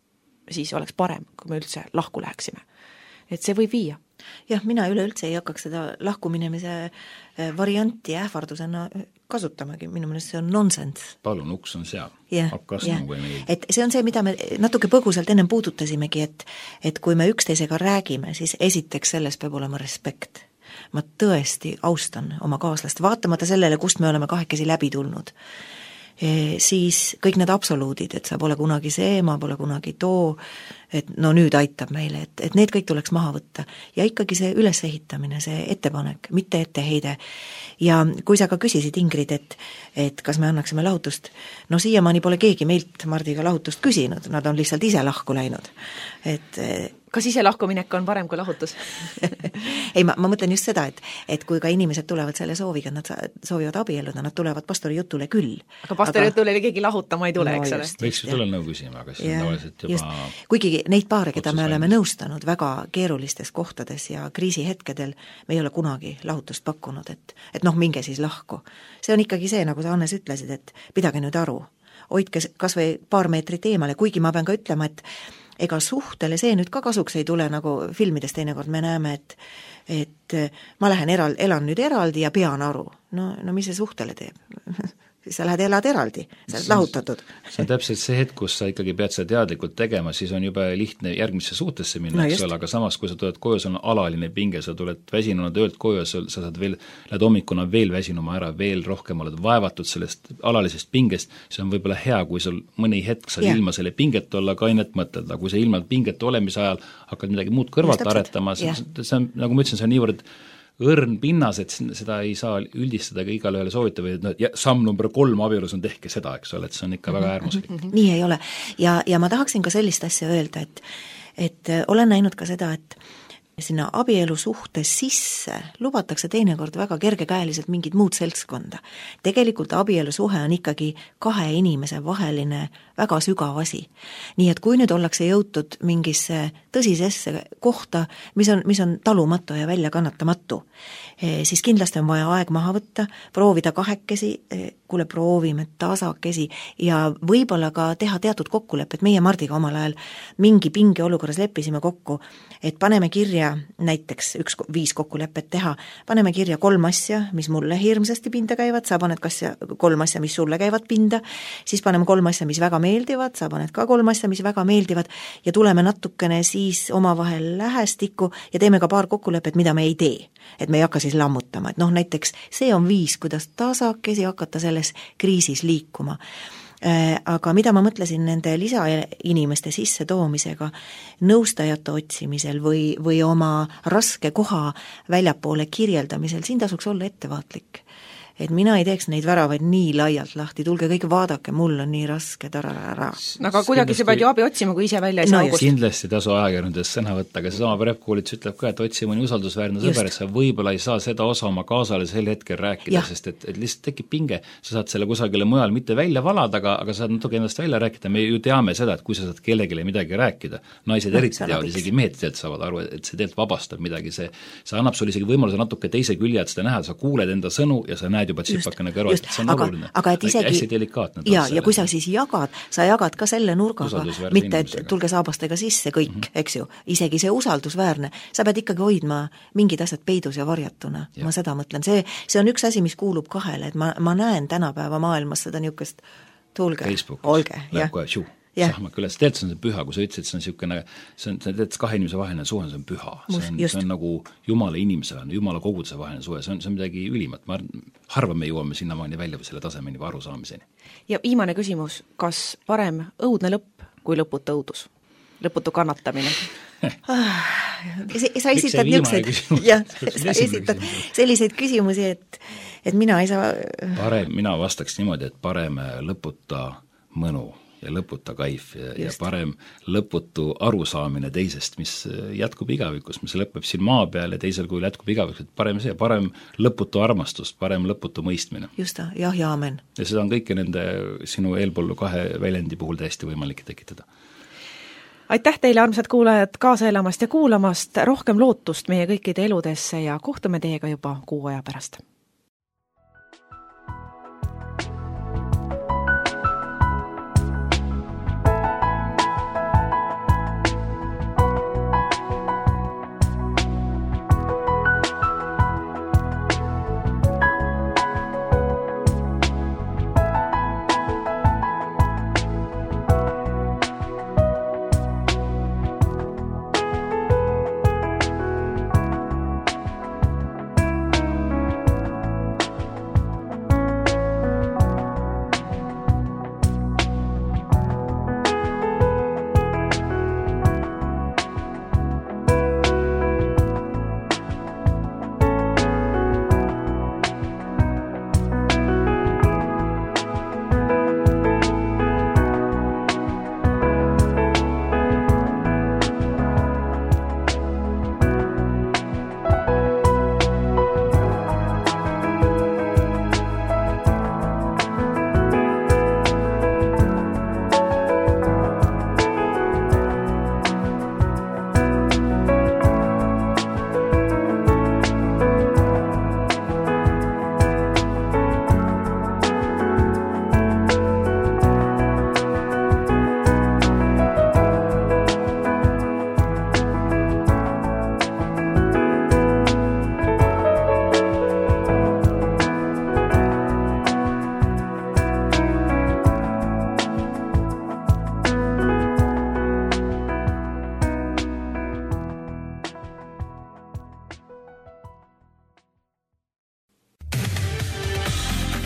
siis oleks parem, kui me üldse lahku läheksime. Et see võib viia. Jah, mina üleüldse ei hakkaks seda lahkuminemise varianti ähvardusena kasutamagi, minu meelest see on nonsense. Palun, uks on seal, yeah, hakkas yeah. nagu ei meeldi. Et see on see, mida me natuke põgusalt ennem puudutasimegi, et, et kui me üksteisega räägime, siis esiteks selles peab olema respekt. Ma tõesti austan oma kaaslast, vaatamata sellele, kust me oleme kahekesi läbi tulnud. E, siis kõik need absoluudid, et sa pole kunagi see, ma pole kunagi too, et no nüüd aitab meile, et, et need kõik tuleks maha võtta. Ja ikkagi see ülesehitamine, see ettepanek, mitte etteheide. Ja kui sa ka küsisid, Ingrid, et, et kas me annaksime lahutust, no siiamaani pole keegi meilt Mardiga lahutust küsinud, nad on lihtsalt ise lahku läinud. Et kas ise lahkuminek on parem kui lahutus? ei, ma, ma mõtlen just seda, et, et kui ka inimesed tulevad selle sooviga, nad soovivad abielluda, nad tulevad pastori jutule küll. Aga pastori aga... jutule keegi lahutama ei tule, no, eks ole? Võiks ju tulla nõu küsima, aga siis on tavaliselt juba just. Kuigi neid paare, keda me oleme nõustanud väga keerulistes kohtades ja kriisihetkedel, me ei ole kunagi lahutust pakkunud, et, et noh, minge siis lahku. See on ikkagi see, nagu sa Hannes ütlesid, et pidage nüüd aru. hoidke kas või paar meetrit eemale, kuigi ma pean ka ütlema, et ega suhtele see nüüd ka kasuks ei tule, nagu filmides teinekord me näeme, et et ma lähen eral, elan nüüd eraldi ja pean aru. No, no mis see suhtele teeb? Siis sa lähed elad eraldi, sa oled lahutatud. See on täpselt see hetk, kus sa ikkagi pead seda teadlikult tegema, siis on juba lihtne järgmisse suhtesse minna, no eks ole, aga samas, kui sa tuled koju, sul on alaline pinge, sa tuled väsinuna töölt koju, sa saad veel, lähed hommikuna veel väsinuma ära, veel rohkem oled vaevatud sellest alalisest pingest, see on võib-olla hea, kui sul mõni hetk saad ja. ilma selle pinget olla kainet mõtelda, kui sa ilma pinget olemise ajal hakkad midagi muud kõrvalt aretama, see, see on, nagu ma ütlesin, see on niivõrd õrn pinnas, et seda ei saa üldistada ka igale ühele soovita või et no, samm number kolm abielus on tehke seda, eks ole, et see on ikka väga äärmuslik. Nii ei ole. Ja, ja ma tahaksin ka sellist asja öelda, et, et olen näinud ka seda, et sinna abielu suhtes sisse lubatakse teinekord väga kergekäeliselt mingid muud seltskonda. Tegelikult abielu suhe on ikkagi kahe inimese vaheline väga sügav asi. Nii et kui nüüd ollakse jõutud mingisse tõsisesse kohta, mis on, mis on talumatu ja välja kannatamatu, siis kindlasti on vaja aeg maha võtta, proovida kahekesi, kuule proovime tasakesi ja võib-olla ka teha teatud kokkulepped. Meie Mardiga omal ajal mingi pinge olukorras leppisime kokku, et paneme kirja näiteks üks viis kokkulepet teha, paneme kirja kolm asja, mis mulle hirmsasti pinda käivad, sa paned kasja, kolm asja, mis sulle käivad pinda, siis paneme kolm asja, mis väga meeldivad, sa paned ka kolm asja, mis väga meeldivad ja tuleme natukene siis omavahel lähestikku ja teeme ka paar kokkulepet, mida me ei tee. Et me ei hakka siis lammutama, et noh, näiteks see on viis, kuidas tasakesi hakata selles kriisis liikuma. Aga mida ma mõtlesin nende lisainimeste sisse toomisega, nõustajate otsimisel või, või oma raske koha väljapoole kirjeldamisel, siin tasuks olla ettevaatlik. Et mina ei teeks neid väravaid nii laialt lahti, tulge kõik vaadake, mul on nii raske tararara. Aga kuidagi sa pead ju abi otsima, kui ise välja ei saa no, kindlasti tasu ajakirjandusest sõna võtta, aga seesama Prep-koolits ütleb ka, et otsi mõni usaldusväärne sõber, et sa võib-olla ei saa seda osa oma kaasale sel hetkel rääkida, ja. sest et, et lihtsalt tekib pinge, sa saad selle kusagile mujal mitte välja valada, aga, aga saad natuke ennast välja rääkida, me ju teame seda, et kui sa saad kellegile midagi rääkida, naised no, eriti teavad, isegi mehed tead saavad aru, et see teelt vabastab midagi, see, see annab sulle isegi võimaluse natuke teise külje, et seda näha, sa kuuled enda sõnu ja sa näed juba tsipakene kõrval, et see on aga, oluline. Aga et isegi, hästi delikaatne. Ja, ja kui sa siis jagad, sa jagad ka selle nurgaga, mitte et tulge saabastega sisse kõik, mm -hmm. eks ju, isegi see usaldusväärne, sa pead ikkagi hoidma mingid asjad peidus ja varjatuna, ja. ma seda mõtlen, see, see on üks asi, mis kuulub kahele, et ma, ma näen tänapäeva maailmas seda niisugust, tulge, olge, jah. Sahmak üles, tegelikult see on see püha, kui sa ütlesid, see on niisugune, see on, tegelikult kahe inimese vaheline suhe, see on püha, see on, see on nagu Jumala inimesele, Jumala koguduse vaheline suhe, see on, see on midagi ülimat, ma harva me jõuame sinnamaani välja või selle tasemeni või arusaamiseni. Ja viimane küsimus, kas parem õudne lõpp kui lõputu õudus? Lõputu kannatamine? sa esitad niisuguseid, jah, sa esitad selliseid küsimusi, et, et mina ei saa parem, mina vastaks niimoodi, et parem lõputa mõnu ja lõputa kaif ja, ja parem lõputu arusaamine teisest, mis jätkub igavikus, mis lõpeb siin maa peal ja teisel kujul jätkub igavikus, et parem see, parem lõputu armastust, parem lõputu mõistmine. Just ta, jah ja amen. Ja seda on kõike nende sinu eelpoolu kahe väljendi puhul täiesti võimalik tekitada. Aitäh teile, armsad kuulajad, kaasa elamast ja kuulamast, rohkem lootust meie kõikide eludesse ja kohtume teiega juba kuu aja pärast.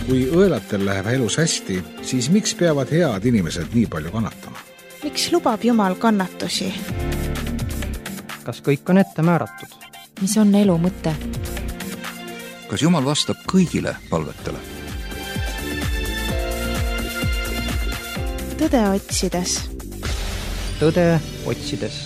kui õelatel läheb elus hästi, siis miks peavad head inimesed nii palju kannatama? Miks lubab Jumal kannatusi? Kas kõik on ette määratud? Mis on elu mõte? Kas Jumal vastab kõigile palvetele? Tõde otsides. Tõde otsides.